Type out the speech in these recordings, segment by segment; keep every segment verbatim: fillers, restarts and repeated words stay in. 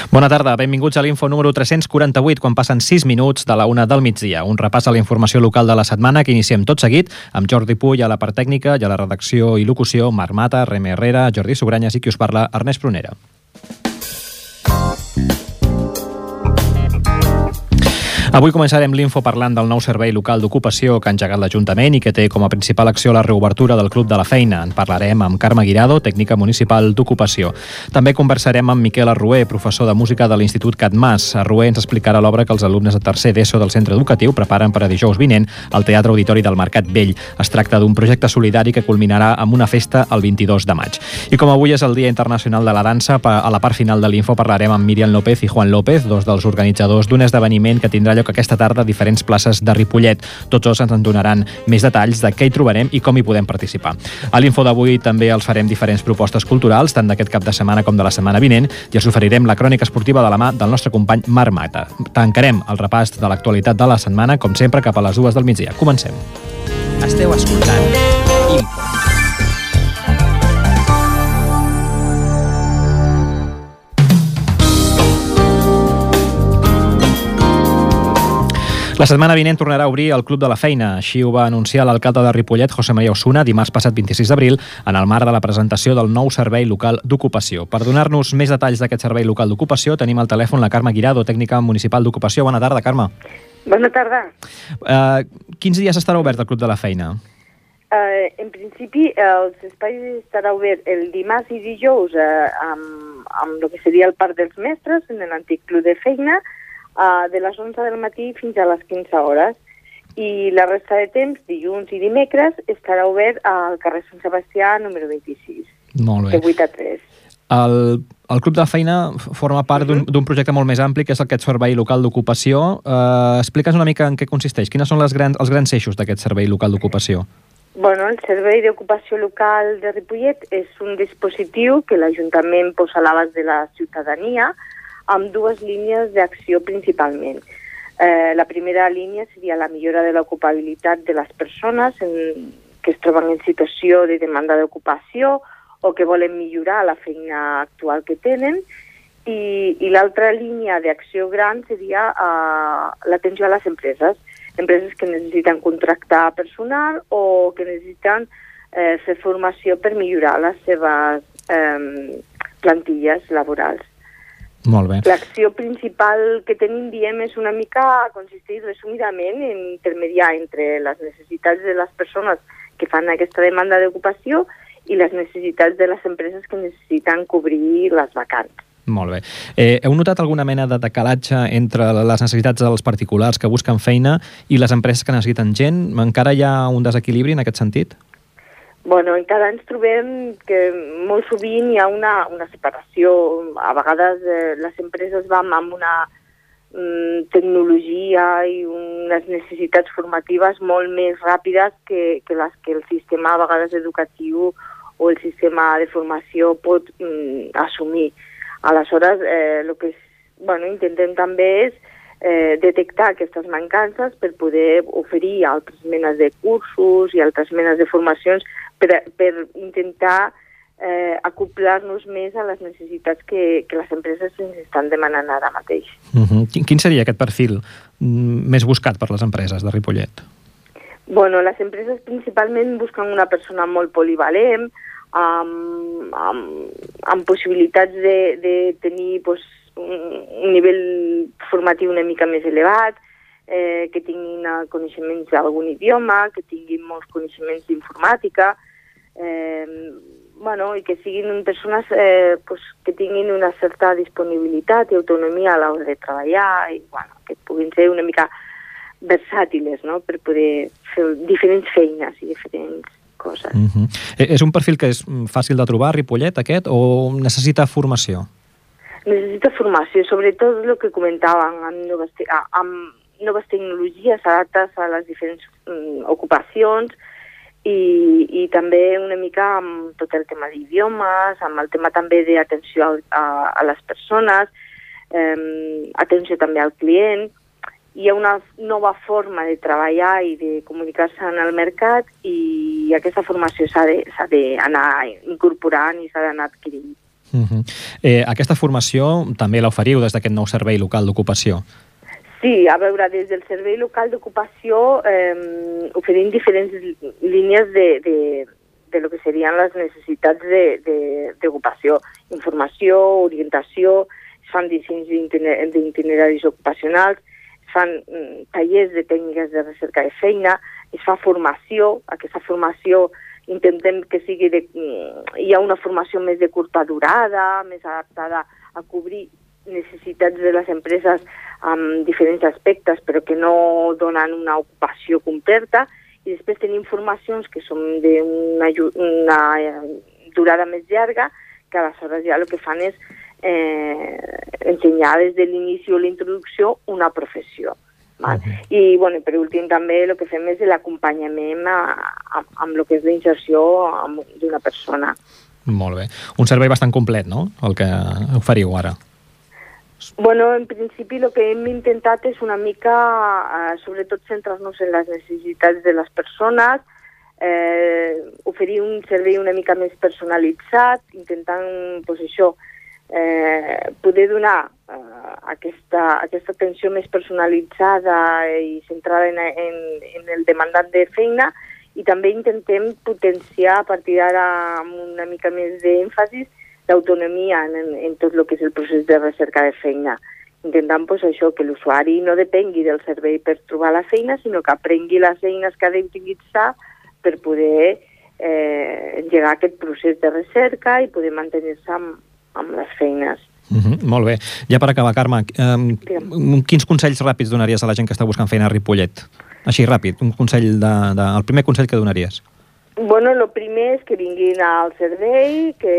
Bona tarda, benvinguts a l'Info número tres-cents quaranta-vuit, quan passen sis minuts de la una del migdia. Un repàs a la informació local de la setmana que iniciem tot seguit amb Jordi Puy a la part tècnica i a la redacció i locució, Marc Mata, Reme Herrera, Jordi Sugranyes i qui us parla, Ernest Prunera. Avui començarem l'Info parlant del nou servei local d'ocupació que ha engegat l'Ajuntament i que té com a principal acció la reobertura del Club de la Feina. En parlarem amb Carme Guirado, tècnica municipal d'ocupació. També conversarem amb Miquel Arrué, professor de música de l'Institut Catmàs. Arrué ens explicarà l'obra que els alumnes de tercer d'ESO del centre educatiu preparen per a dijous vinent al Teatre Auditori del Mercat Vell. Es tracta d'un projecte solidari que culminarà amb una festa el vint-i-dos de maig. I com avui és el Dia Internacional de la Dansa, a la part final de l'Info parlarem amb Míriam López i Juan López, dos dels organitzadors d'un esdeveniment que tindrà lloc aquesta tarda a diferents places de Ripollet. Tots dos ens en donaran més detalls de què hi trobarem i com hi podem participar. A l'Info d'avui també els farem diferents propostes culturals, tant d'aquest cap de setmana com de la setmana vinent, i els oferirem la crònica esportiva de la mà del nostre company Marc Mata. Tancarem el repàs de l'actualitat de la setmana, com sempre, cap a les dues del migdia. Comencem. Esteu escoltant Info. La setmana vinent tornarà a obrir el Club de la Feina. Així ho va anunciar l'alcalde de Ripollet, José María Osuna, dimarts passat vint-i-sis d'abril, en el marc de la presentació del nou servei local d'ocupació. Per donar-nos més detalls d'aquest servei local d'ocupació, tenim al telèfon la Carme Guirado, tècnica municipal d'ocupació. Bona tarda, Carme. Bona tarda. Uh, quins dies estarà obert el Club de la Feina? Uh, en principi, els espais estarà obert el dimarts i dijous uh, amb, amb el que seria el Parc dels Mestres, en l'antic Club de Feina, Uh, de les onze del matí fins a les quinze hores. I la resta de temps, dilluns i dimecres, estarà obert al carrer Sant Sebastià número vint-i-sis. Molt bé. De vuit a tres. El, el Club de la Feina forma part d'un d'un projecte molt més ampli, que és aquest servei local d'ocupació. Uh, explica'ns una mica en què consisteix. Quines són les grans, els grans eixos d'aquest servei local d'ocupació? Bueno, el Servei d'Ocupació Local de Ripollet és un dispositiu que l'Ajuntament posa a l'abast de la ciutadania, amb dues línies d'acció principalment. Eh, la primera línia seria la millora de l'ocupabilitat de les persones en, que es troben en situació de demanda d'ocupació o que volen millorar la feina actual que tenen, i, i l'altra línia d'acció gran seria eh, l'atenció a les empreses, empreses que necessiten contractar personal o que necessiten eh, fer formació per millorar les seves eh, plantilles laborals. Molt bé. L'acció principal que tenim, diem, és una mica, consisteix resumidament en intermediar entre les necessitats de les persones que fan aquesta demanda d'ocupació i les necessitats de les empreses que necessiten cobrir les vacants. Molt bé. Eh, heu notat alguna mena de decalatge entre les necessitats dels particulars que busquen feina i les empreses que necessiten gent? Encara hi ha un desequilibri en aquest sentit? Bueno, encara ens trobem que molt sovint hi ha una, una separació. A vegades eh, les empreses van amb una mm, tecnologia i unes necessitats formatives molt més ràpides que, que les que el sistema a vegades educatiu o el sistema de formació pot mm, assumir. Aleshores, eh, el que és, bueno, intentem també és eh, detectar aquestes mancances per poder oferir altres menes de cursos i altres menes de formacions per, per intentar eh, acoplar-nos més a les necessitats que, que les empreses ens estan demanant ara mateix. Uh-huh. Quin seria aquest perfil més buscat per les empreses de Ripollet? Bueno, les empreses principalment busquen una persona molt polivalent, amb, amb, amb possibilitats de, de tenir pues, un, un nivell formatiu una mica més elevat, eh, que tinguin coneixements d'algun idioma, que tinguin molts coneixements d'informàtica, eh, bueno, i que siguin persones eh, pues, que tinguin una certa disponibilitat i autonomia a l'hora de treballar i bueno, que puguin ser una mica versàtiles, no?, per poder fer diferents feines i diferents coses. Uh-huh. És un perfil que és fàcil de trobar, Ripollet, aquest, o necessita formació? Necessita formació, sobretot el que comentàvem, amb noves, te amb noves tecnologies adaptades a les diferents um, ocupacions i, i també una mica amb tot el tema d'idiomes, amb el tema també d'atenció a, a, a les persones, eh, atenció també al client. Hi ha una nova forma de treballar i de comunicar-se en el mercat i aquesta formació s'ha d'anar incorporant i s'ha d'anar adquirint. Uh-huh. eh, aquesta formació també l'oferiu des d'aquest nou servei local d'ocupació? Sí, a veure, des del servei local d'ocupació eh, oferim diferents línies de, de, de lo que serien les necessitats d'ocupació. Informació, orientació, es fan dissenys d'itineraris ocupacionals, es fan mm, tallers de tècniques de recerca de feina, es fa formació. Aquesta formació intentem que sigui de... Hi ha una formació més de curta durada, més adaptada a cobrir necessitats de les empreses amb diferents aspectes, però que no donen una ocupació completa. I després tenim formacions que són d'una una durada més llarga, que aleshores ja el que fan és eh, ensenyar des de l'inici o la introducció una professió. Val? Okay. I bueno, per últim també el que fem és l'acompanyament amb el que és la inserció d'una persona. Molt bé. Un servei bastant complet, no?, el que oferiu ara. Bueno, en principi el que hem intentat és una mica, eh, sobretot, centrar-nos en les necessitats de les persones, eh, oferir un servei una mica més personalitzat, intentant, pues, això, eh, poder donar eh, aquesta, aquesta atenció més personalitzada i centrada en, en, en el demandant de feina, i també intentem potenciar a partir d'ara amb una mica més d'èmfasis d'autonomia en, en tot el que és el procés de recerca de feina. Intentant, pues, això, que l'usuari no depengui del servei per trobar la feina, sinó que aprengui les eines que ha d'utilitzar per poder eh, engegar aquest procés de recerca i poder mantenir-se amb, amb les feines. Uh-huh, molt bé. Ja per acabar, Carme, eh, quins consells ràpids donaries a la gent que està buscant feina a Ripollet? Així, ràpid, un consell de, de, el primer consell que donaries. Bueno, el primer és que vinguin al servei, que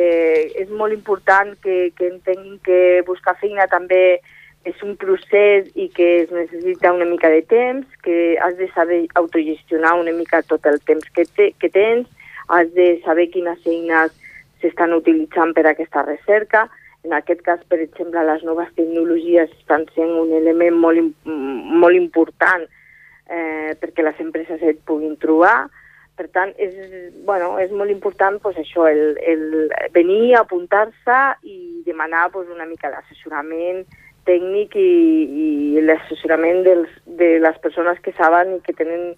és molt important que, que entenguin que buscar feina també és un procés i que es necessita una mica de temps, que has de saber autogestionar una mica tot el temps que, te, que tens, has de saber quines eines s'estan utilitzant per a aquesta recerca. En aquest cas, per exemple, les noves tecnologies estan sent un element molt, molt important eh, perquè les empreses et puguin trobar. Per tant, és, bueno, és molt important, pues, això, el, el venir, apuntar-se i demanar, pues, una mica d'assessorament tècnic i, i l'assessorament dels, de les persones que saben i que tenen,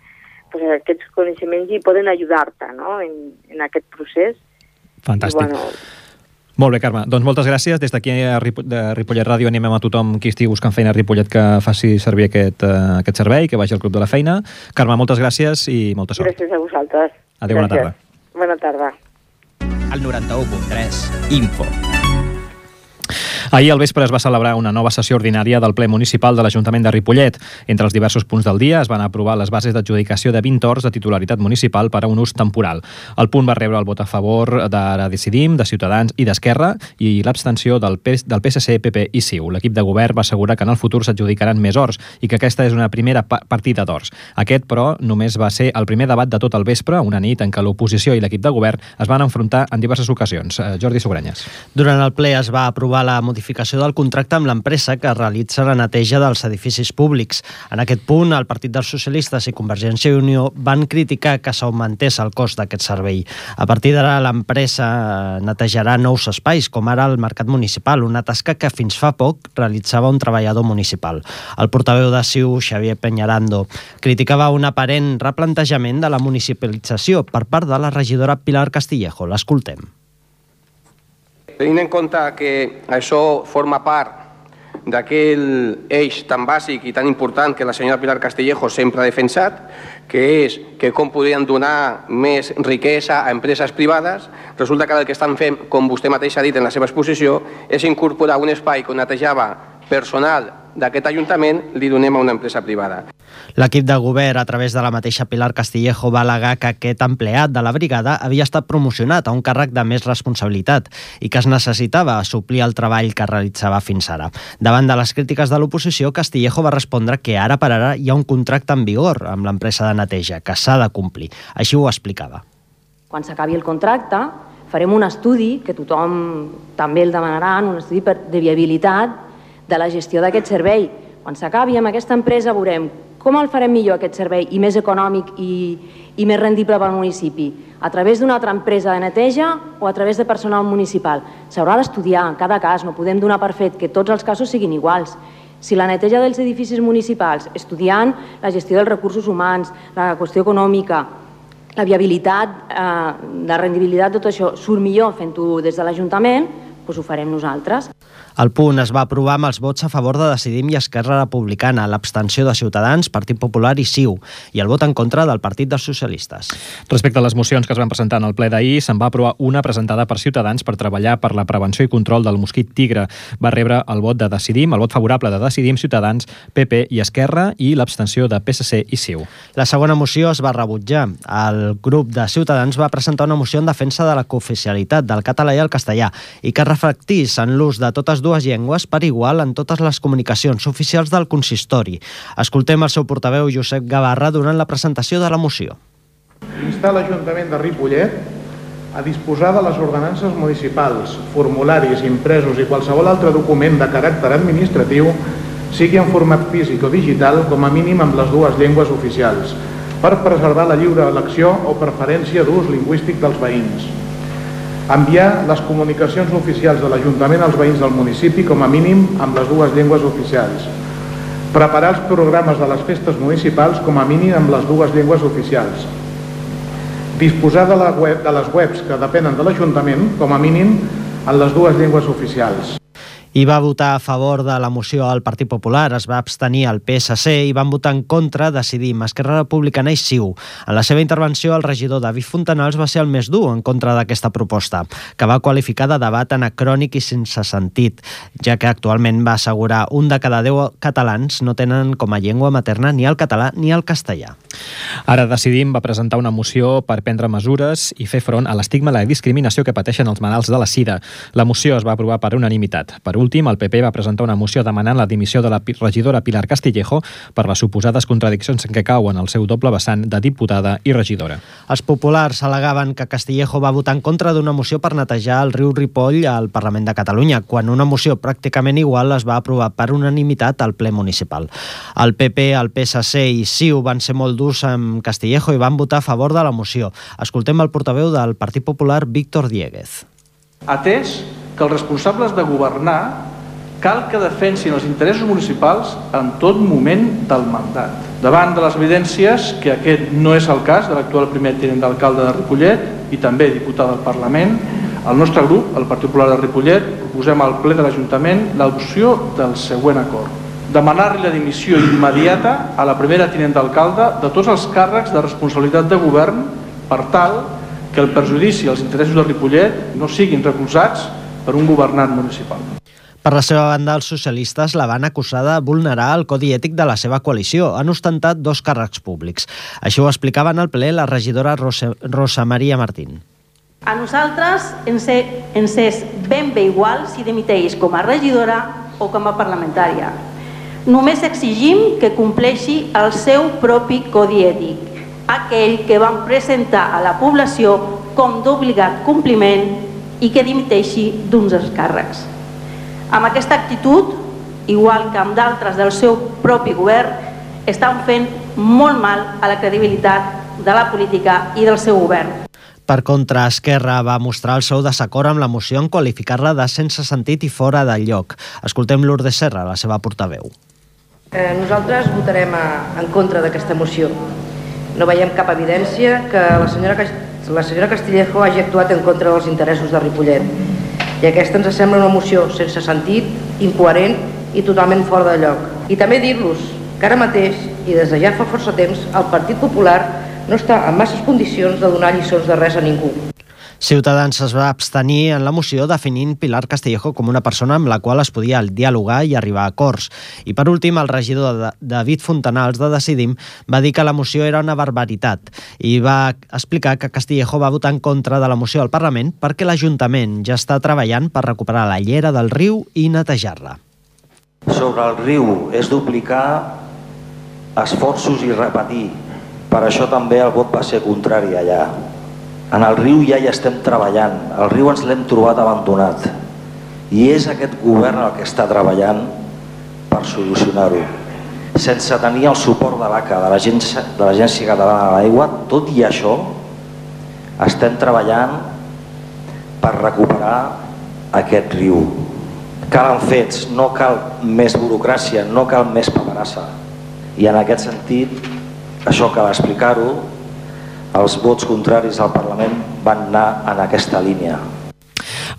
pues, aquests coneixements i poden ajudar-te, no?, en, en aquest procés. Fantàstic. I, bueno, molt bé, Carme. Doncs moltes gràcies. Des d'aquí a Ripollet Ràdio animem a tothom qui estigui buscant feina a Ripollet que faci servir aquest, uh, aquest servei, que vagi al Club de la Feina. Carme, moltes gràcies i molta sort. Gràcies a vosaltres. Adéu, bona tarda. Bona tarda. Al noranta-u punt tres, Info. Ahir al vespre es va celebrar una nova sessió ordinària del ple municipal de l'Ajuntament de Ripollet. Entre els diversos punts del dia es van aprovar les bases d'adjudicació de vint horts de titularitat municipal per a un ús temporal. El punt va rebre el vot a favor d'Ara Decidim, de Ciutadans i d'Esquerra i l'abstenció del P S C, P P i C I U. L'equip de govern va assegurar que en el futur s'adjudicaran més horts i que aquesta és una primera partida d'horts. Aquest, però, només va ser el primer debat de tot el vespre, una nit en què l'oposició i l'equip de govern es van enfrontar en diverses ocasions. Jordi Sogranyes. Durant el ple es va aprovar la modificació del contracte amb l'empresa que realitza la neteja dels edificis públics. En aquest punt, el Partit dels Socialistes i Convergència i Unió van criticar que s'augmentés el cost d'aquest servei. A partir d'ara, l'empresa netejarà nous espais, com ara el Mercat Municipal, una tasca que fins fa poc realitzava un treballador municipal. El portaveu de C I U, Xavier Peñarando, criticava un aparent replantejament de la municipalització per part de la regidora Pilar Castillejo. L'escoltem. Tenint en compte que això forma part d'aquell eix tan bàsic i tan important que la senyora Pilar Castillejo sempre ha defensat, que és que com podrien donar més riquesa a empreses privades, resulta que el que estan fent, com vostè mateix ha dit en la seva exposició, és incorporar un espai que netejava personal d'aquest Ajuntament, li donem a una empresa privada. L'equip de govern, a través de la mateixa Pilar Castillejo, va al·legar que aquest empleat de la brigada havia estat promocionat a un càrrec de més responsabilitat i que es necessitava suplir el treball que realitzava fins ara. Davant de les crítiques de l'oposició, Castillejo va respondre que ara per ara hi ha un contracte en vigor amb l'empresa de neteja, que s'ha de complir. Així ho explicava. Quan s'acabi el contracte, farem un estudi, que tothom també el demanaran, un estudi de viabilitat de la gestió d'aquest servei. Quan s'acabi amb aquesta empresa veurem Com el farem millor aquest servei i més econòmic i, i més rendible pel municipi? A través d'una altra empresa de neteja o a través de personal municipal? S'haurà d'estudiar en cada cas, no podem donar per fet que tots els casos siguin iguals. Si la neteja dels edificis municipals, estudiant la gestió dels recursos humans, la qüestió econòmica, la viabilitat, eh, la rendibilitat, tot això surt millor fent-ho des de l'Ajuntament, doncs ho farem nosaltres. El punt es va aprovar amb els vots a favor de Decidim i Esquerra Republicana, l'abstenció de Ciutadans, Partit Popular i C I U, i el vot en contra del Partit dels Socialistes. Respecte a les mocions que es van presentar en el ple d'ahir, se'n va aprovar una presentada per Ciutadans per treballar per la prevenció i control del mosquit tigre. Va rebre el vot de Decidim, el vot favorable de Decidim, Ciutadans, P P i Esquerra i l'abstenció de P S C i C I U. La segona moció es va rebutjar. El grup de Ciutadans va presentar una moció en defensa de la cooficialitat del català i el castellà i que reflectís en l'ús de totes dues llengües per igual en totes les comunicacions oficials del consistori. Escoltem el seu portaveu, Josep Gavarra, durant la presentació de la moció. Instar l'Ajuntament de Ripollet a disposar de les ordenances municipals, formularis, impresos i qualsevol altre document de caràcter administratiu, sigui en format físic o digital, com a mínim amb les dues llengües oficials, per preservar la lliure elecció o preferència d'ús lingüístic dels veïns. Enviar les comunicacions oficials de l'Ajuntament als veïns del municipi com a mínim amb les dues llengües oficials. Preparar els programes de les festes municipals com a mínim amb les dues llengües oficials. Disposar de, la web, de les webs que depenen de l'Ajuntament com a mínim en les dues llengües oficials. I va votar a favor de la moció al Partit Popular, es va abstenir el P S C i van votar en contra Decidim, Esquerra Republicana i C I U. En la seva intervenció, el regidor David Fontanals va ser el més dur en contra d'aquesta proposta, que va qualificar de debat anacrònic i sense sentit, ja que actualment va assegurar un de cada deu catalans no tenen com a llengua materna ni el català ni el castellà. Ara Decidim va presentar una moció per prendre mesures i fer front a l'estigma i la discriminació que pateixen els malalts de la sida. La moció es va aprovar per unanimitat. Per últim, el P P va presentar una moció demanant la dimissió de la regidora Pilar Castillejo per les suposades contradiccions en què cauen el seu doble vessant de diputada i regidora. Els populars al·legaven que Castillejo va votar en contra d'una moció per netejar el riu Ripoll al Parlament de Catalunya, quan una moció pràcticament igual es va aprovar per unanimitat al ple municipal. El P P, el P S C i C I U van ser molt durs amb Castillejo i van votar a favor de la moció. Escoltem el portaveu del Partit Popular, Víctor Dieguez. Atès que els responsables de governar cal que defensin els interessos municipals en tot moment del mandat. Davant de les evidències que aquest no és el cas de l'actual primer tinent d'alcalde de Ripollet i també diputat del Parlament, el nostre grup, el Partit Popular de Ripollet, proposem al ple de l'Ajuntament l'adopció del següent acord. Demanar-li la dimissió immediata a la primera tinent d'alcalde de tots els càrrecs de responsabilitat de govern per tal que el perjudici als interessos de Ripollet no siguin recolzats per un governant municipal. Per la seva banda, els socialistes la van acusar de vulnerar el codi ètic de la seva coalició. Han ostentat dos càrrecs públics. Així ho explicava en el ple la regidora Rosa, Rosa Maria Martín. A nosaltres ens, ens és ben bé igual si dimiteix com a regidora o com a parlamentària. Només exigim que compleixi el seu propi codi ètic, aquell que van presentar a la població com d'obligat compliment i que dimiteixi d'uns dels càrrecs. Amb aquesta actitud, igual que amb d'altres del seu propi govern, estan fent molt mal a la credibilitat de la política i del seu govern. Per contra, Esquerra va mostrar el seu desacord amb la moció en qualificar-la de sense sentit i fora de lloc. Escoltem Lourdes Serra, la seva portaveu. Eh, nosaltres votarem a, en contra d'aquesta moció. No veiem cap evidència que la senyora, la senyora Castillejo hagi actuat en contra dels interessos de Ripollet. I aquesta ens sembla una moció sense sentit, incoherent i totalment fora de lloc. I també dir-los que ara mateix, i des de ja fa força temps, el Partit Popular no està en masses condicions de donar lliçons de res a ningú. Ciutadans es va abstenir en la moció definint Pilar Castillejo com una persona amb la qual es podia dialogar i arribar a acords. I per últim, el regidor David Fontanals de Decidim va dir que la moció era una barbaritat i va explicar que Castillejo va votar en contra de la moció al Parlament perquè l'Ajuntament ja està treballant per recuperar la llera del riu i netejar-la. Sobre el riu és duplicar esforços i repetir. Per això també el vot va ser contrari allà. En el riu ja hi estem treballant, el riu ens l'hem trobat abandonat i és aquest govern el que està treballant per solucionar-ho. sense tenir el suport de l'A C A, de l'Agència de l'Agència Catalana de l'Aigua. Tot i això, estem treballant per recuperar aquest riu. Calen fets, no cal més burocràcia, no cal més paperassa. I en aquest sentit, això cal explicar-ho, els vots contraris al Parlament van anar en aquesta línia.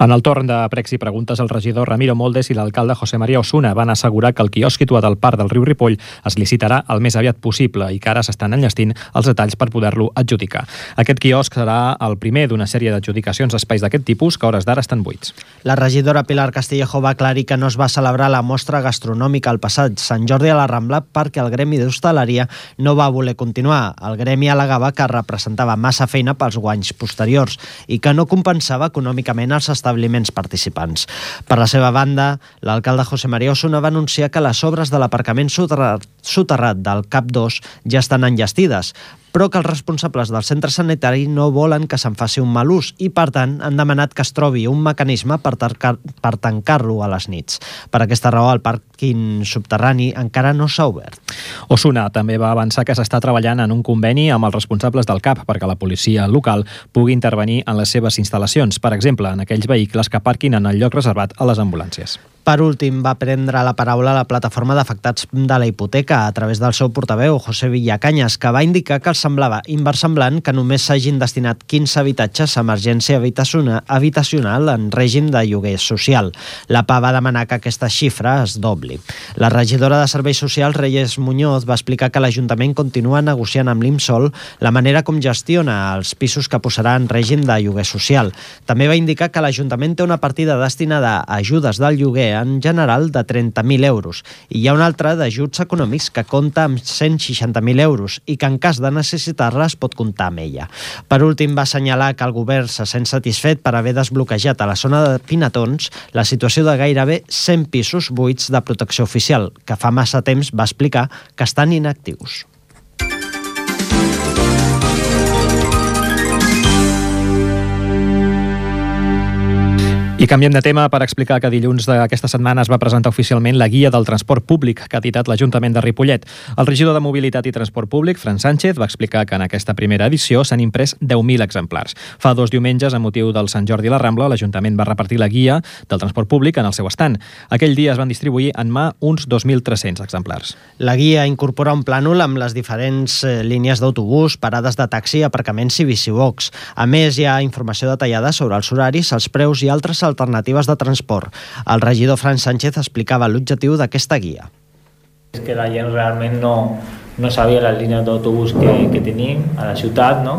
En el torn de pregs i preguntes, el regidor Ramiro Moldes i l'alcalde José María Osuna van assegurar que el quiosc situat al parc del riu Ripoll es licitarà el més aviat possible i que ara s'estan enllestint els detalls per poder-lo adjudicar. Aquest quiosc serà el primer d'una sèrie d'adjudicacions d'espais d'aquest tipus que a hores d'ara estan buits. La regidora Pilar Castillejo va aclarir que no es va celebrar la mostra gastronòmica al passat Sant Jordi a la Rambla perquè el gremi d'hostaleria no va voler continuar. El gremi al·legava que representava massa feina pels guanys posteriors i que no compensava econòmicament els establiments participants. Per la seva banda, l'alcalde José María Osuna va anunciar que les obres de l'aparcament soterrat, soterrat del C A P dos ja estan enllestides, però que els responsables del centre sanitari no volen que se'n faci un mal ús i, per tant, han demanat que es trobi un mecanisme per, per tancar-lo a les nits. Per aquesta raó, el pàrquing subterrani encara no s'ha obert. Osuna també va avançar que s'està treballant en un conveni amb els responsables del C A P perquè la policia local pugui intervenir en les seves instal·lacions, per exemple, en aquells vehicles que parquin en el lloc reservat a les ambulàncies. Per últim, va prendre la paraula la plataforma d'afectats de la hipoteca a través del seu portaveu, José Villacanyes, que va indicar que els semblava inversemblant que només s'hagin destinat quinze habitatges a emergència habitacional en règim de lloguer social. La P A va demanar que aquesta xifra es dobli. La regidora de Serveis Socials, Reyes Muñoz, va explicar que l'Ajuntament continua negociant amb l'IMSOL la manera com gestiona els pisos que posarà en règim de lloguer social. També va indicar que l'Ajuntament té una partida destinada a ajudes del lloguer en general de trenta mil euros i hi ha una altra d'ajuts econòmics que compta amb cent seixanta mil euros i que en cas de necessitar-les pot comptar amb ella. Per últim, va assenyalar que el govern se sent satisfet per haver desbloquejat a la zona de Pinatons la situació de gairebé cent pisos buits de protecció oficial, que fa massa temps va explicar que estan inactius. I canviem de tema per explicar que dilluns d'aquesta setmana es va presentar oficialment la guia del transport públic que ha editat l'Ajuntament de Ripollet. El regidor de Mobilitat i Transport Públic, Fran Sánchez, va explicar que en aquesta primera edició s'han imprès deu mil exemplars. Fa dos diumenges, a motiu del Sant Jordi a la Rambla, l'Ajuntament va repartir la guia del transport públic en el seu estand. Aquell dia es van distribuir en mà uns dos mil tres-cents exemplars. La guia incorpora un plànol amb les diferents línies d'autobús, parades de taxi, aparcaments i bicibox. A més, hi ha informació detallada sobre els horaris, els preus i altres alternatives de transport. El regidor Fran Sánchez explicava l'objectiu d'aquesta guia. És que la gent realment no, no sabia les línies d'autobús que, que tenim a la ciutat, no?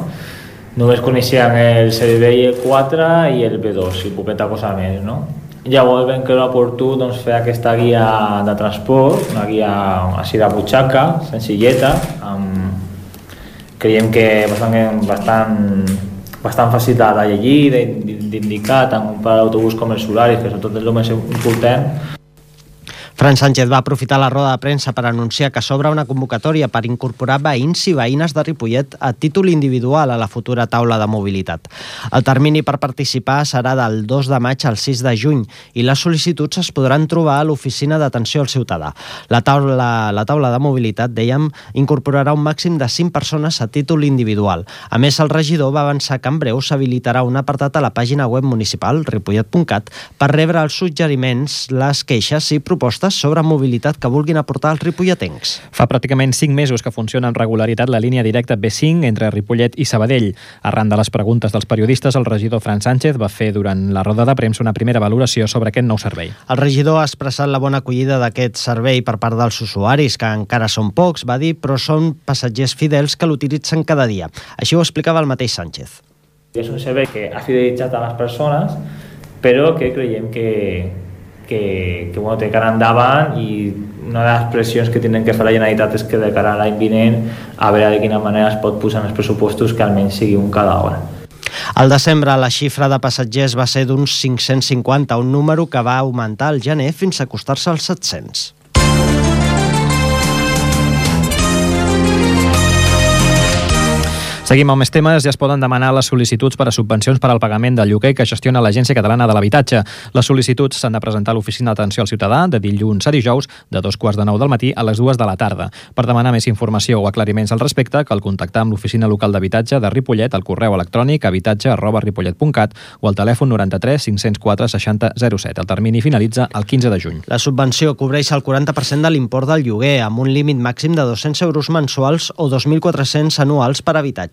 Només coneixien el C D B i el quatre i el B dos i poqueta cosa més, no? Llavors vam creure oportú doncs, fer aquesta guia de transport, una guia així de butxaca, senzilleta, amb... creiem que bastant, bastant bastant fàcil de llegir, d'indicar tant per a l'autobús com els horaris, que sobretot és el més important. Fran Sánchez va aprofitar la roda de premsa per anunciar que s'obre una convocatòria per incorporar veïns i veïnes de Ripollet a títol individual a la futura taula de mobilitat. El termini per participar serà del dos de maig al sis de juny i les sol·licituds es podran trobar a l'oficina d'atenció al ciutadà. La taula, la taula de mobilitat, dèiem, incorporarà un màxim de cinc persones a títol individual. A més, el regidor va avançar que en breu s'habilitarà un apartat a la pàgina web municipal, ripollet punt cat, per rebre els suggeriments, les queixes i propostes sobre mobilitat que vulguin aportar els ripolletens. Fa pràcticament cinc mesos que funciona amb regularitat la línia directa B cinc entre Ripollet i Sabadell. Arran de les preguntes dels periodistes, el regidor Fran Sánchez va fer durant la roda de premsa una primera valoració sobre aquest nou servei. El regidor ha expressat la bona acollida d'aquest servei per part dels usuaris, que encara són pocs, va dir, però són passatgers fidels que l'utilitzen cada dia. Així ho explicava el mateix Sánchez. És un servei que ha fidelitzat a les persones, però que creiem que que, que bueno, té cara endavant i una de les pressions que tenen que fer la Generalitat és que de cara a l'any vinent a veure de quina manera es pot posar en els pressupostos que almenys sigui un cada hora. Al desembre la xifra de passatgers va ser d'uns cinc-cents cinquanta, un número que va augmentar al gener fins a acostar-se als set-cents. Seguim amb més temes. Ja es poden demanar les sol·licituds per a subvencions per al pagament del lloguer que gestiona l'Agència Catalana de l'Habitatge. Les sol·licituds s'han de presentar a l'Oficina d'Atenció al Ciutadà de dilluns a dijous de dos quarts de nou del matí a les dues de la tarda. Per demanar més informació o aclariments al respecte, cal contactar amb l'Oficina Local d'Habitatge de Ripollet al correu electrònic habitatge arroba ripollet punt cat o al telèfon noranta-tres cinc cents quatre seixanta zero set. El termini finalitza el quinze de juny. La subvenció cobreix el quaranta per cent de l'import del lloguer amb un límit màxim de dos-cents euros mensuals o dos mil quatre-cents anuals per habitatge.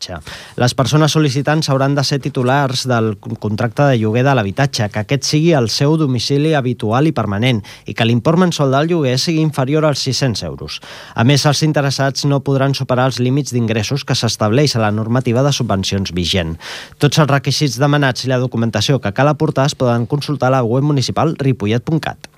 Les persones sol·licitants hauran de ser titulars del contracte de lloguer de l'habitatge, que aquest sigui el seu domicili habitual i permanent i que l'import mensual del lloguer sigui inferior als sis-cents euros. A més, els interessats no podran superar els límits d'ingressos que s'estableix a la normativa de subvencions vigent. Tots els requisits demanats i la documentació que cal aportar es poden consultar a la web municipal ripollet punt cat.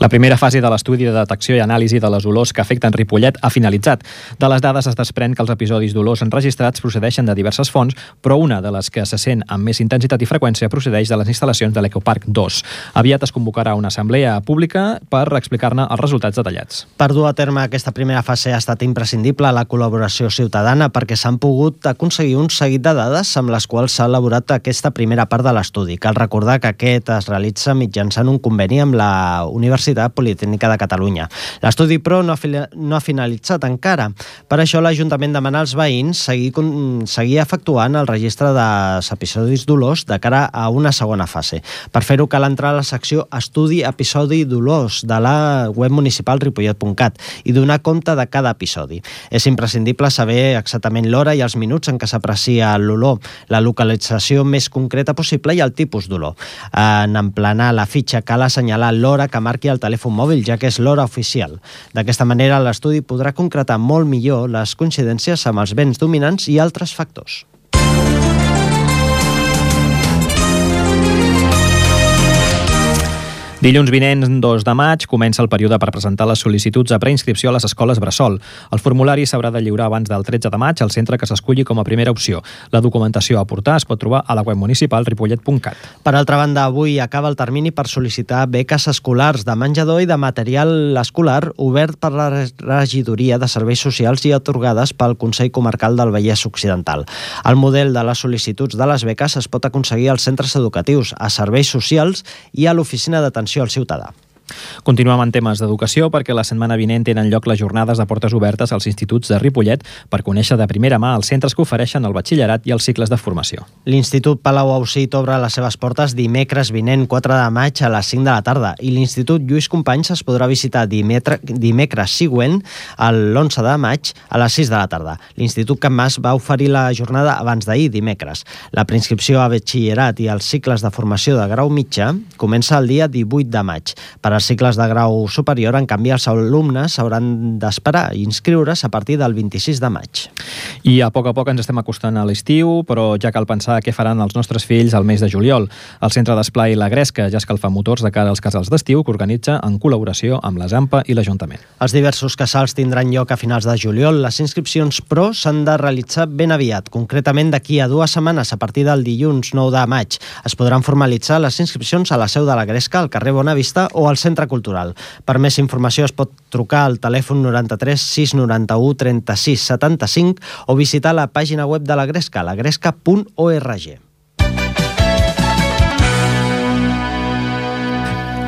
La primera fase de l'estudi de detecció i anàlisi de les olors que afecten Ripollet ha finalitzat. De les dades es desprèn que els episodis d'olors enregistrats procedeixen de diverses fonts, però una de les que se sent amb més intensitat i freqüència procedeix de les instal·lacions de l'Ecoparc dos. Aviat es convocarà una assemblea pública per explicar-ne els resultats detallats. Per dur a terme aquesta primera fase ha estat imprescindible la col·laboració ciutadana perquè s'han pogut aconseguir un seguit de dades amb les quals s'ha elaborat aquesta primera part de l'estudi. Cal recordar que aquest es realitza mitjançant un conveni amb la Universitat Politècnica de Catalunya. L'estudi, però, no ha, no ha finalitzat encara. Per això l'Ajuntament demana als veïns seguir, seguir efectuant el registre dels episodis dolors de cara a una segona fase. Per fer-ho cal entrar a la secció Estudi episodi dolors de la web municipal ripollet punt cat i donar compte de cada episodi. És imprescindible saber exactament l'hora i els minuts en què s'aprecia l'olor, la localització més concreta possible i el tipus d'olor. En emplenar la fitxa cal assenyalar l'hora que marqui el telèfon mòbil, ja que és l'hora oficial. D'aquesta manera, l'estudi podrà concretar molt millor les coincidències amb els vents dominants i altres factors. Dilluns vinent, dos de maig, comença el període per presentar les sol·licituds a preinscripció a les escoles bressol. El formulari s'haurà de lliurar abans del tretze de maig al centre que s'esculli com a primera opció. La documentació a aportar es pot trobar a la web municipal ripollet punt cat. Per altra banda, avui acaba el termini per sol·licitar beques escolars de menjador i de material escolar obert per la regidoria de serveis socials i atorgades pel Consell Comarcal del Vallès Occidental. El model de les sol·licituds de les beques es pot aconseguir als centres educatius, a serveis socials i a l'oficina d'atenció al ciutadà. Continuem en temes d'educació perquè la setmana vinent tenen lloc les jornades de portes obertes als instituts de Ripollet per conèixer de primera mà els centres que ofereixen el batxillerat i els cicles de formació. L'Institut Palau Ausit obre les seves portes dimecres vinent quatre de maig a les cinc de la tarda i l'Institut Lluís Companys es podrà visitar dimetre, dimecres següent, l'onze de maig, a les sis de la tarda. L'Institut Can Mas va oferir la jornada abans d'ahir, dimecres. La preinscripció a batxillerat i els cicles de formació de grau mitjà comença el dia divuit de maig. Per als cicles de grau superior, en canvi, els alumnes hauran d'esperar i inscriure's a partir del vint-i-sis de maig. I a poc a poc ens estem acostant a l'estiu, però ja cal pensar què faran els nostres fills al mes de juliol. El Centre d'Esplai La Gresca ja escalfa motors de cara als casals d'estiu que organitza en col·laboració amb la Zampa i l'Ajuntament. Els diversos casals tindran lloc a finals de juliol. Les inscripcions, però, s'han de realitzar ben aviat, concretament d'aquí a dues setmanes, a partir del dilluns nou de maig. Es podran formalitzar les inscripcions a la seu de La Gresca, al carrer Bonavista o al Centre Cultural. Per més informació es pot trucar al telèfon noranta-tres sis noranta-u trenta-sis setanta-cinc o visitar la pàgina web de La Gresca, la gresca punt org.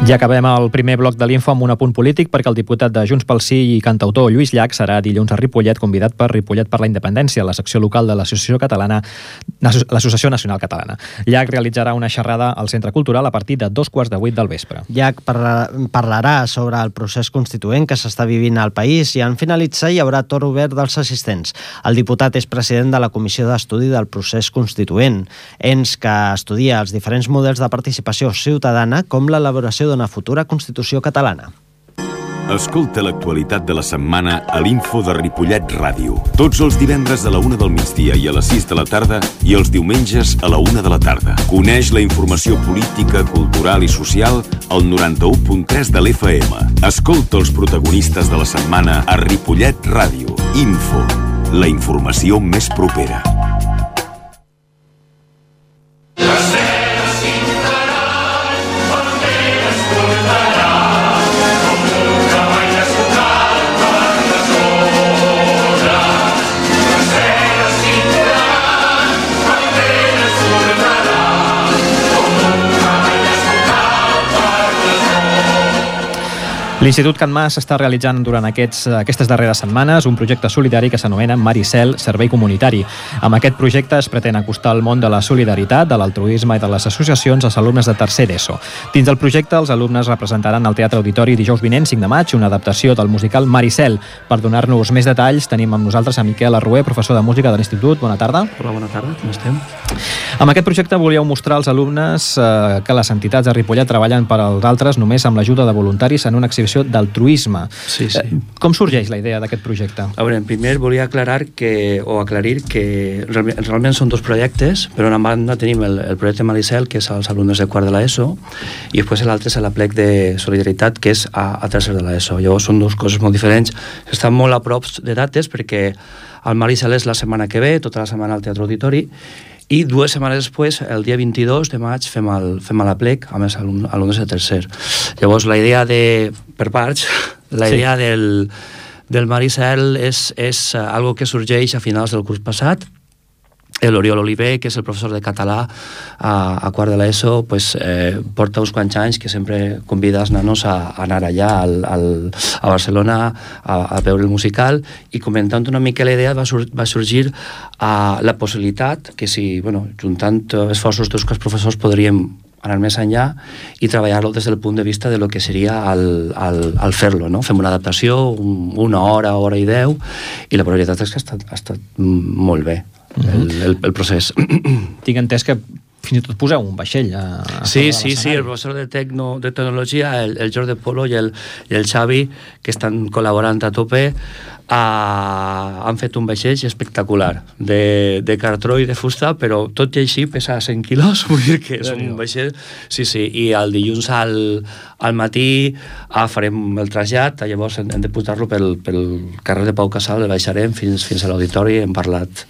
Ja acabem el primer bloc de l'Info amb un apunt polític perquè el diputat de Junts pel Sí i cantautor Lluís Llach serà dilluns a Ripollet convidat per Ripollet per la Independència, la secció local de l'Associació Catalana, l'Associació Nacional Catalana. Llach realitzarà una xerrada al Centre Cultural a partir de dos quarts de vuit del vespre. Llach parlarà sobre el procés constituent que s'està vivint al país i en finalitzar hi haurà torn obert dels assistents. El diputat és president de la Comissió d'Estudi del Procés Constituent, ens que estudia els diferents models de participació ciutadana com l'elaboració d'una futura Constitució catalana. Escolta l'actualitat de la setmana a l'Info de Ripollet Ràdio. Tots els divendres a la una del migdia i a les sis de la tarda i els diumenges a la una de la tarda. Coneix la informació política, cultural i social al noranta-u punt tres de l'F M. Escolta els protagonistes de la setmana a Ripollet Ràdio. Info, la informació més propera. L'Institut Can Mas està realitzant durant aquests, aquestes darreres setmanes un projecte solidari que s'anomena Maricel Servei Comunitari. Amb aquest projecte es pretén acostar el món de la solidaritat, de l'altruisme i de les associacions als alumnes de tercer d'ESO. Dins del projecte, els alumnes representaran al Teatre Auditori dijous vinent, cinc de maig, una adaptació del musical Maricel. Per donar-nos més detalls, tenim amb nosaltres a Miquel Arrué, professor de música de l'Institut. Bona tarda. Hola, bona tarda, com estem? Amb aquest projecte volíeu mostrar als alumnes eh, que les entitats de Ripollet treballen per als altres només amb l'ajuda de voluntaris en una exhibició d'altruisme. Sí, sí. Eh, com sorgeix la idea d'aquest projecte? A veure, primer volia aclarar que, o aclarir que realment, realment són dos projectes, però en banda tenim el, el projecte Maricel, que és als alumnes de quart de l'ESO, i després l'altre és l'Aplec de Solidaritat, que és a, a tercer de l'ESO. Llavors són dues coses molt diferents, que estan molt a prop de dates, perquè el Maricel és la setmana que ve, tota la setmana al Teatre Auditori, i dues setmanes després, el dia vint-i-dos de maig, fem el, fem l'Aplec amb els alumnes de tercer. Llavors, la idea de, per parts, la idea sí. del, del Maricel és, és algo que sorgeix a finals del curs passat. L'Oriol Oliver, que és el professor de català a, a quart de l'ESO, pues, eh, porta uns quants anys que sempre convida els nanos a, a anar allà al, al, a Barcelona a, a veure el musical, i comentant una mica la idea va, sur, va sorgir a la possibilitat que si, bueno, juntant esforços dels professors podríem anar més enllà i treballar-lo des del punt de vista de lo que seria el, el, el fer-lo, no? Fem una adaptació, un, una hora, hora i deu, i la veritat és que ha estat, ha estat molt bé. El, el, el procés. Tinc entès que fins i tot poseu un vaixell a, a sí, sí, sí, el professor de, tecno, de tecnologia, el, el Jordi Polo i el, i el Xavi, que estan col·laborant a tope, a, han fet un vaixell espectacular de, de cartró i de fusta, però tot i així pesa cent quilos, vull dir que és un vaixell. Sí, sí, i el dilluns al, al matí ah, farem el trasllat, llavors hem, hem de pujar-lo pel, pel carrer de Pau Casal, el baixarem fins, fins a l'auditori, hem parlat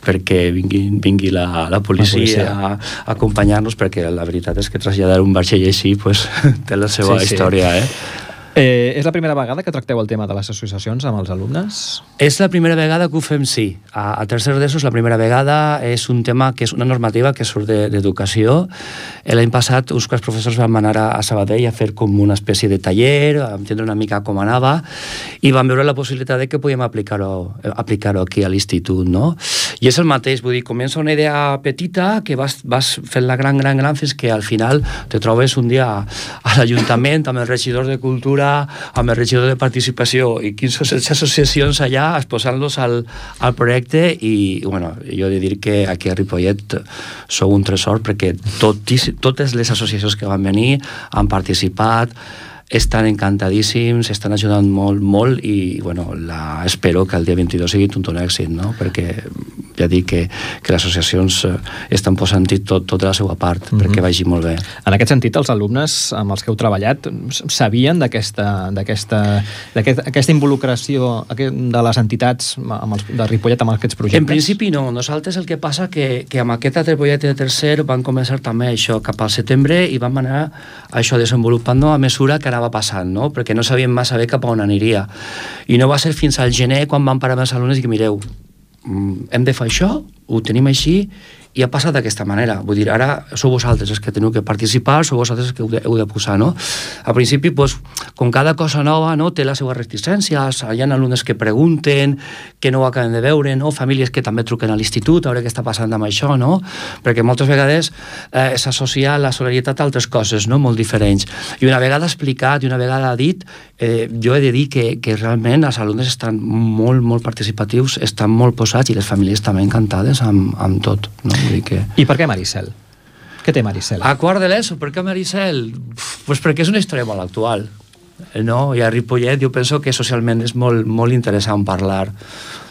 perquè vingui, vingui la, la policia, la policia. a, a acompanyar-nos, perquè la veritat és que traslladar un vaixell així pues, té la seva sí, història. Sí. Eh? Eh, és la primera vegada que tracteu el tema de les associacions amb els alumnes? És la primera vegada que ho fem, sí. A, a tercer d'ESO és la primera vegada, és un tema que és una normativa que surt d'educació. De, L'any passat uns quants professors vam anar a, a Sabadell a fer com una espècie de taller, a entendre una mica com anava, i vam veure la possibilitat de que podíem aplicar-ho aplicar-ho aquí a l'institut, no? I és el mateix, vull dir, comença una idea petita que vas, vas fent la gran, gran, gran, fins que al final te trobes un dia a, a l'Ajuntament amb el regidor de Cultura, amb el regidor de Participació i quinze o setze associacions allà exposant-los al, al projecte, i bueno, jo he de dir que aquí a Ripollet sou un tresor, perquè tot, totes les associacions que van venir han participat, estan encantadíssims, estan ajudant molt, molt, i bueno, la, espero que el dia vint-i-dos sigui tot un èxit, no? Perquè ja dic que, que les associacions estan posant-hi tot, tota la seva part mm-hmm. perquè vagi molt bé. En aquest sentit, els alumnes amb els que heu treballat sabien d'aquesta d'aquesta d'aquesta involucració de les entitats amb els, de Ripollet amb aquests projectes? En principi no. Nosaltres el que passa que, que amb aquest altre projecte de tercer van començar també això cap al setembre, i vam anar això desenvolupant a mesura que anava passant, no? Perquè no sabíem massa bé cap a on aniria. I no va ser fins al gener quan vam parar amb els alumnes i que mireu, hem de fer això, ho tenim així, i ha passat d'aquesta manera. Vull dir, ara sou vosaltres els que teniu que participar, sou vosaltres els que heu de, heu de posar, no? Al principi, pues, com cada cosa nova, no, té les seves reticències, hi ha alumnes que pregunten, que no ho acaben de veure, no? Famílies que també truquen a l'institut a veure què està passant amb això, no? Perquè moltes vegades eh, s'associa la solidaritat a altres coses, no? Molt diferents. I una vegada explicat i una vegada dit, eh, jo he de dir que, que realment els alumnes estan molt, molt participatius, estan molt posats, i les famílies també encantades amb, amb tot, no? Que... I per què Maricel? Què té Maricel? A quart de l'ESO, per què Maricel? Pues perquè és una història molt actual, no? I a Ripollet jo penso que socialment és molt, molt interessant parlar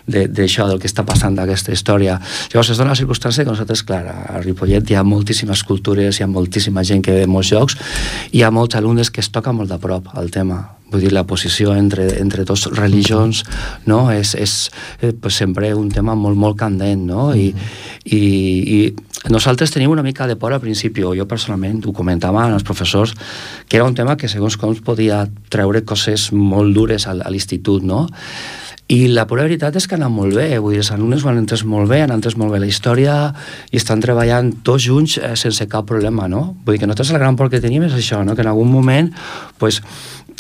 d'això, del que està passant d'aquesta història. Llavors es dona la circumstància que nosaltres, clar, a Ripollet hi ha moltíssimes cultures, hi ha moltíssima gent que ve de molts llocs, i hi ha molts alumnes que es toca molt de prop al tema. Vull dir, la posició entre, entre dos religions, no? És, és eh, pues, sempre un tema molt, molt candent, no? I, i, i nosaltres tenim una mica de por al principi. Jo personalment ho comentava als professors, que era un tema que segons com podia treure coses molt dures a, a l'institut, no? I la pura veritat és que han anat molt bé, vull dir, els alumnes ho han entès molt bé, han entès molt bé la història i estan treballant tots junts eh, sense cap problema, no? Vull dir que nosaltres el gran por que tenim és això, no? Que en algun moment, pues,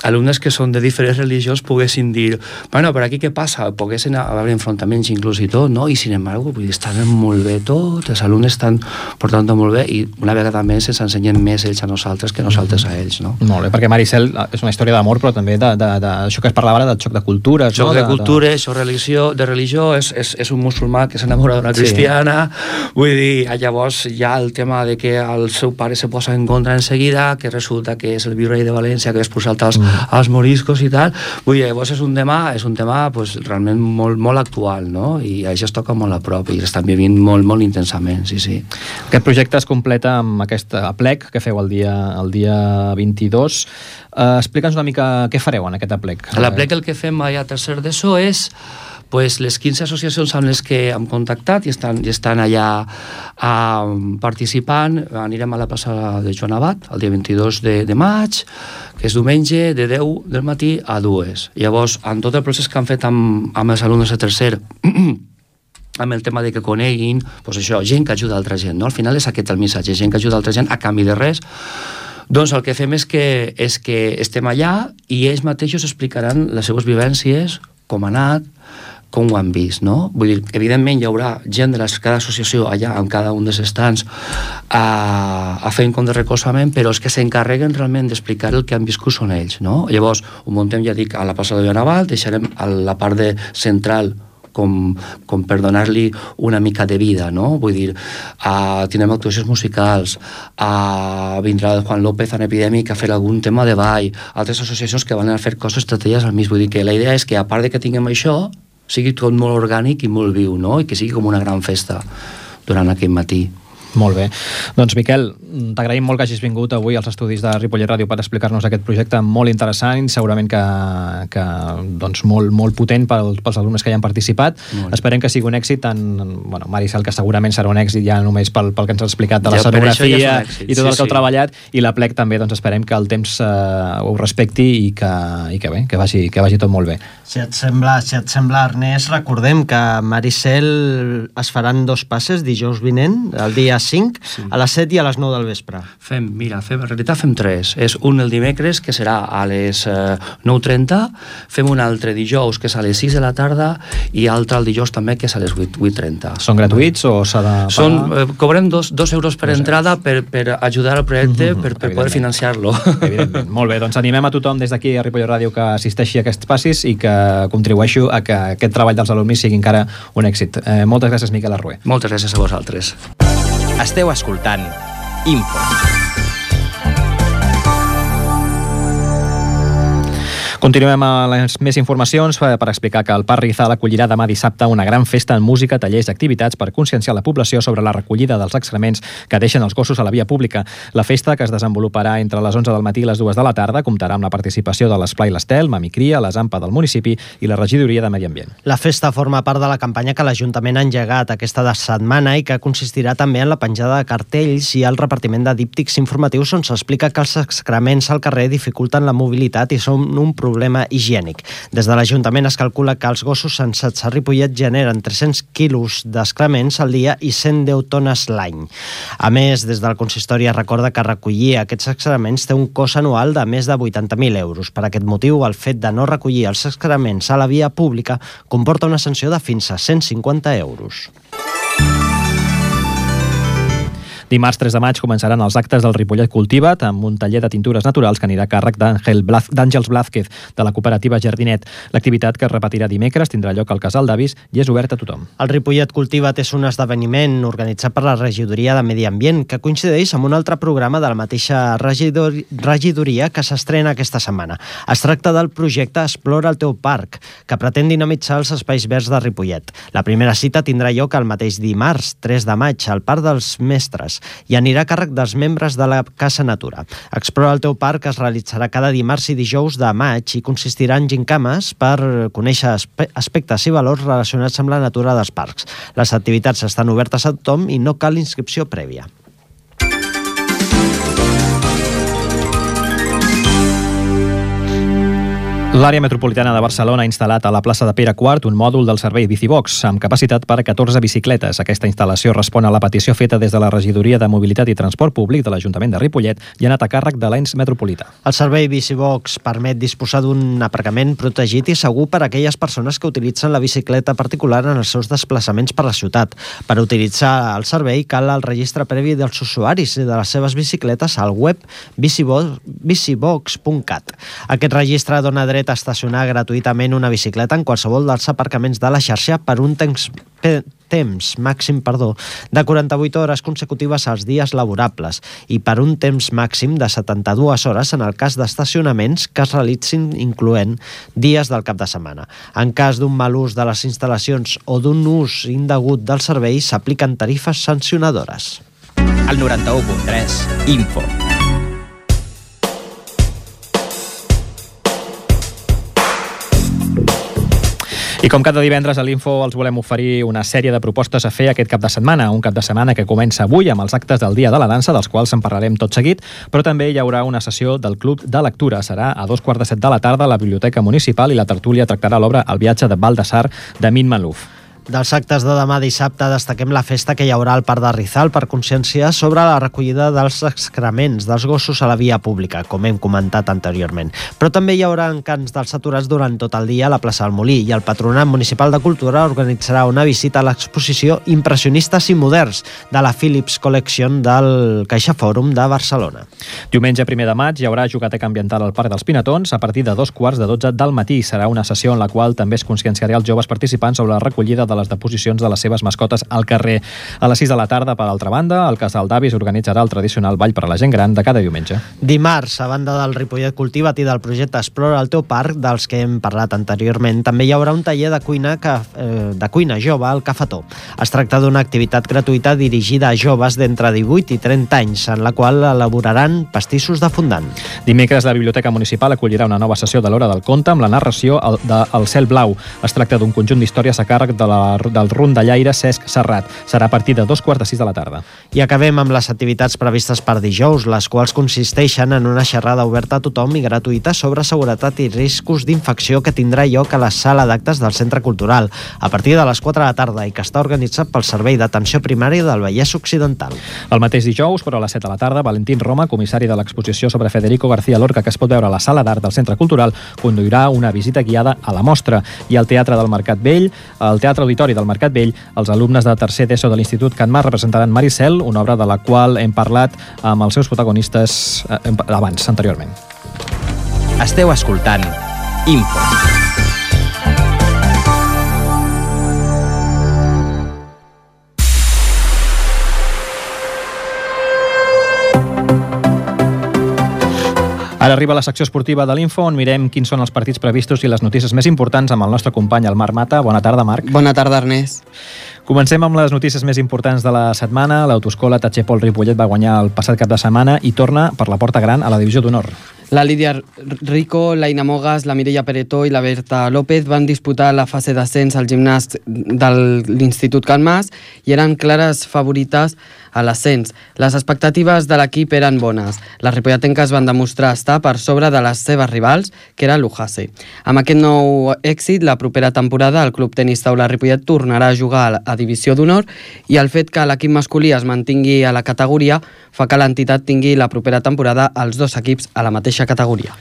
alumnes que són de diferents religions poguessin dir, bueno, per aquí què passa? Poguessin haver enfrontaments inclús i tot, no? I sin embargo, vull dir, estan molt bé tot, els alumnes estan portant molt bé i una vegada més ens ensenyen més ells a nosaltres que nosaltres a ells, no? Molt bé, perquè Maricel és una història d'amor, però també d'això que es parlava ara, del xoc de cultures, no? Xoc de cultures, xoc religió, de religió, és, és, és un musulmà que s'enamora d'una cristiana, sí. Vull dir, llavors hi ha el tema de que el seu pare se posa en contra en seguida, que resulta que és el virrei de València, que és posat als, mm. als moriscos i tal. Vull dir, llavors és un tema, és un tema pues, realment molt, molt actual, no? I això es toca molt a prop i l'estan vivint molt, molt intensament, sí, sí. Aquest projecte es completa amb aquest aplec que feu el dia, el dia vint-i-dos. Uh, Explica'ns una mica què fareu en aquest aplec. A l'aplec el que fem allà a tercer d'ESO és pues, les quinze associacions amb les que hem contactat i estan, i estan allà uh, participant. Anirem a la plaça de Joan Abat el dia vint-i-dos de, de maig, que és diumenge, de deu del matí a dues. Llavors, en tot el procés que han fet amb, amb els alumnes de tercer, amb el tema de que coneguin, doncs això, gent que ajuda altra gent, no? Al final és aquest el missatge, gent que ajuda altra gent a canvi de res. Doncs el que fem és que, és que estem allà i ells mateixos explicaran les seves vivències, com ha anat, com ho han vist, no? Vull dir, evidentment hi haurà gent de les, cada associació allà, en cada un dels estants, a, a fer un compte de recolzament, però els que s'encarreguen realment d'explicar el que han viscut són ells, no? Llavors, ho muntem, ja dic, a la plaça de Joanaval, deixarem a la part de central com, com per donar-li una mica de vida, no? Vull dir, uh, tindrem actuacions musicals, uh, vindrà el Juan López en Epidèmic a fer algun tema de ball, altres associacions que van a fer coses estratègies al mig. Vull dir que la idea és que, a part de que tinguem això, sigui tot molt orgànic i molt viu, no? I que sigui com una gran festa durant aquell matí. Molt bé. Doncs, Miquel, t'agraïm molt que hagis vingut avui als estudis de Ripollet Ràdio per explicar-nos aquest projecte molt interessant, segurament que, que doncs, molt, molt potent pels, pels alumnes que hi han participat. Molt. Esperem que sigui un èxit, en, bueno, Maricel, que segurament serà un èxit ja només pel, pel que ens has explicat de la ja, escenografia ja èxit, i tot sí, el que sí. heu treballat, i la plec també, doncs esperem que el temps eh, ho respecti i que, i que bé, que vagi, que vagi tot molt bé. Si et sembla, si et sembla, Ernest, recordem que Maricel es faran dos passes dijous vinent, el dia cinc, sí. a les set i a les nou del vespre. Fem, mira, fem, en realitat fem tres. És un el dimecres, que serà a les eh, nou trenta, fem un altre dijous, que és a les sis de la tarda, i altre el dijous també, que és a les vuit trenta. Són gratuïts o s'ha de pagar? Són, eh, cobrem dos, dos euros per dos entrada per, per ajudar al projecte, mm-hmm, per, per poder financiar-lo. Evidentment. Molt bé, doncs animem a tothom des d'aquí a Ripollet Ràdio que assisteixi a aquests passis i que contribueixo a que aquest treball dels alumnes sigui encara un èxit. Eh, moltes gràcies, Miquel Arrué. Moltes gràcies a vosaltres. Esteu escoltant Info. Continuem amb les més informacions per explicar que el Parc Rizal acollirà demà dissabte una gran festa en música, tallers i activitats per conscienciar la població sobre la recollida dels excrements que deixen els gossos a la via pública. La festa, que es desenvoluparà entre les onze del matí i les dues de la tarda, comptarà amb la participació de l'Esplai l'Estel, Mamicria, les AMPA del municipi i la Regidoria de Medi Ambient. La festa forma part de la campanya que l'Ajuntament ha engegat aquesta setmana i que consistirà també en la penjada de cartells i el repartiment de díptics informatius on s'explica que els excrements al carrer dificulten la mobilitat i són un problema problema higiènic. Des de l'Ajuntament es calcula que els gossos censats a Ripollet generen tres-cents quilos d'excrements al dia i cent deu tones l'any. A més, des del consistori es recorda que recollir aquests excrements té un cost anual de més de vuitanta mil euros. Per aquest motiu, el fet de no recollir els excrements a la via pública comporta una sanció de fins a cent cinquanta euros. Dimarts tres de maig començaran els actes del Ripollet Cultiva't amb un taller de tintures naturals que anirà a càrrec d'Àngels Blázquez de la cooperativa Jardinet. L'activitat, que es repetirà dimecres, tindrà lloc al Casal d'Avis i és obert a tothom. El Ripollet Cultiva't és un esdeveniment organitzat per la Regidoria de Medi Ambient que coincideix amb un altre programa de la mateixa regidor... regidoria que s'estrena aquesta setmana. Es tracta del projecte Explora el teu parc, que pretén dinamitzar els espais verds de Ripollet. La primera cita tindrà lloc el mateix dimarts, tres de maig, al Parc dels Mestres, i anirà a càrrec dels membres de la Casa Natura. Explora el teu parc es realitzarà cada dimarts i dijous de maig i consistirà en gincames per conèixer aspectes i valors relacionats amb la natura dels parcs. Les activitats estan obertes a tothom i no cal inscripció prèvia. L'àrea metropolitana de Barcelona ha instal·lat a la plaça de Pere quart un mòdul del servei Bicibox amb capacitat per a catorze bicicletes. Aquesta instal·lació respon a la petició feta des de la Regidoria de Mobilitat i Transport Públic de l'Ajuntament de Ripollet i ha anat a càrrec de l'ens metropolità. El servei Bicibox permet disposar d'un aparcament protegit i segur per a aquelles persones que utilitzen la bicicleta particular en els seus desplaçaments per la ciutat. Per utilitzar el servei cal el registre previ dels usuaris i de les seves bicicletes al web bicibox punt cat. Aquest registre dona dret a estacionar gratuïtament una bicicleta en qualsevol dels aparcaments de la xarxa per un temps, temps màxim perdó, de quaranta-vuit hores consecutives als dies laborables i per un temps màxim de setanta-dues hores en el cas d'estacionaments que es realitzin incloent dies del cap de setmana. En cas d'un mal ús de les instal·lacions o d'un ús indegut del servei, s'apliquen tarifes sancionadores. Al noranta-u punt tres, Info. I com cada divendres a l'Info els volem oferir una sèrie de propostes a fer aquest cap de setmana, un cap de setmana que comença avui amb els actes del Dia de la Dansa, dels quals en parlarem tot seguit, però també hi haurà una sessió del Club de Lectura. Serà a dos quarts de set de la tarda a la Biblioteca Municipal i la tertúlia tractarà l'obra El viatge de Baldassar de Min Malouf. Dels actes de demà dissabte destaquem la festa que hi haurà al Parc de Rizal per conscienciar sobre la recollida dels excrements dels gossos a la via pública, com hem comentat anteriorment. Però també hi haurà encants dels aturats durant tot el dia a la plaça del Molí i el Patronat Municipal de Cultura organitzarà una visita a l'exposició Impressionistes i Moderns de la Philips Collection del Caixa Fòrum de Barcelona. Diumenge primer de maig hi haurà jugateca ambiental al Parc dels Pinatons a partir de dos quarts de dotze del matí. Serà una sessió en la qual també es conscienciarà els joves participants sobre la recollida de de les deposicions de les seves mascotes al carrer. A les sis de la tarda, per altra banda, el Casal d'Avis organitzarà el tradicional ball per a la gent gran de cada diumenge. Dimarts, a banda del Ripollet Cultiva't i del projecte Explora el teu parc, dels que hem parlat anteriorment, també hi haurà un taller de cuina, que, eh, de cuina jove al Cafetó. Es tracta d'una activitat gratuïta dirigida a joves d'entre divuit i trenta anys, en la qual elaboraran pastissos de fondant. Dimecres, la Biblioteca Municipal acollirà una nova sessió de l'Hora del Conte amb la narració de El cel blau. Es tracta d'un conjunt d'històries a càrrec de la del rondallaire Cesc Serrat. Serà a partir de dos quarts de sis de la tarda. I acabem amb les activitats previstes per dijous, les quals consisteixen en una xerrada oberta a tothom i gratuïta sobre seguretat i riscos d'infecció que tindrà lloc a la sala d'actes del Centre Cultural a partir de les quatre de la tarda i que està organitzat pel Servei d'Atenció Primària del Vallès Occidental. El mateix dijous, però a les set de la tarda, Valentín Roma, comissari de l'exposició sobre Federico García Lorca que es pot veure a la sala d'art del Centre Cultural, conduirà una visita guiada a la mostra. I al Teatre del Mercat Vell, al Teatre Auditori del Mercat Vell, els alumnes de tercer d'ESO de l'Institut Can Mas representaran Maricel, una obra de la qual hem parlat amb els seus protagonistes eh, abans, anteriorment. Esteu escoltant Info. Ara arriba la secció esportiva de l'Info, on mirem quins són els partits previstos i les notícies més importants amb el nostre company, el Marc Mata. Bona tarda, Marc. Bona tarda, Ernest. Comencem amb les notícies més importants de la setmana. L'autoescola Tachepol Ripollet va guanyar el passat cap de setmana i torna per la porta gran a la divisió d'honor. La Lídia Rico, l'Aina Mogas, la Mireia Peretó i la Berta López van disputar la fase d'ascens al gimnàs de l'Institut Can Mas i eren clares favorites a l'ascens. Les expectatives de l'equip eren bones. Les ripolletenques van demostrar estar per sobre de les seves rivals, que era l'Ujase. Amb aquest nou èxit, la propera temporada el Club Tenis Taula Ripollet tornarà a jugar a divisió d'honor i el fet que l'equip masculí es mantingui a la categoria fa que l'entitat tingui la propera temporada els dos equips a la mateixa categoria.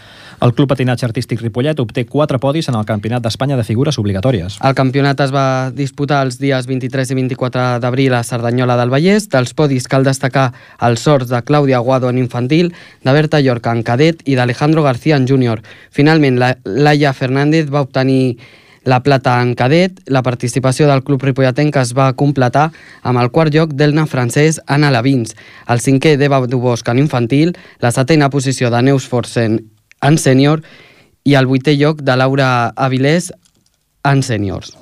El Club Patinatge Artístic Ripollet obté quatre podis en el Campionat d'Espanya de figures obligatòries. El campionat es va disputar els dies vint-i-tres i vint-i-quatre d'abril a Cerdanyola del Vallès. Dels podis cal destacar els sorts de Clàudia Aguado en infantil, de Berta Llorca en cadet i d'Alejandro García en júnior. Finalment, la Laia Fernández va obtenir la plata en cadet. La participació del Club Ripolletenc es va completar amb el quart lloc d'Elna Francès en alevins, el cinquè d'Eva Dubosc en infantil, la setena posició de Neus Forsen en sènior i el vuitè lloc de Laura Avilés en sèniors.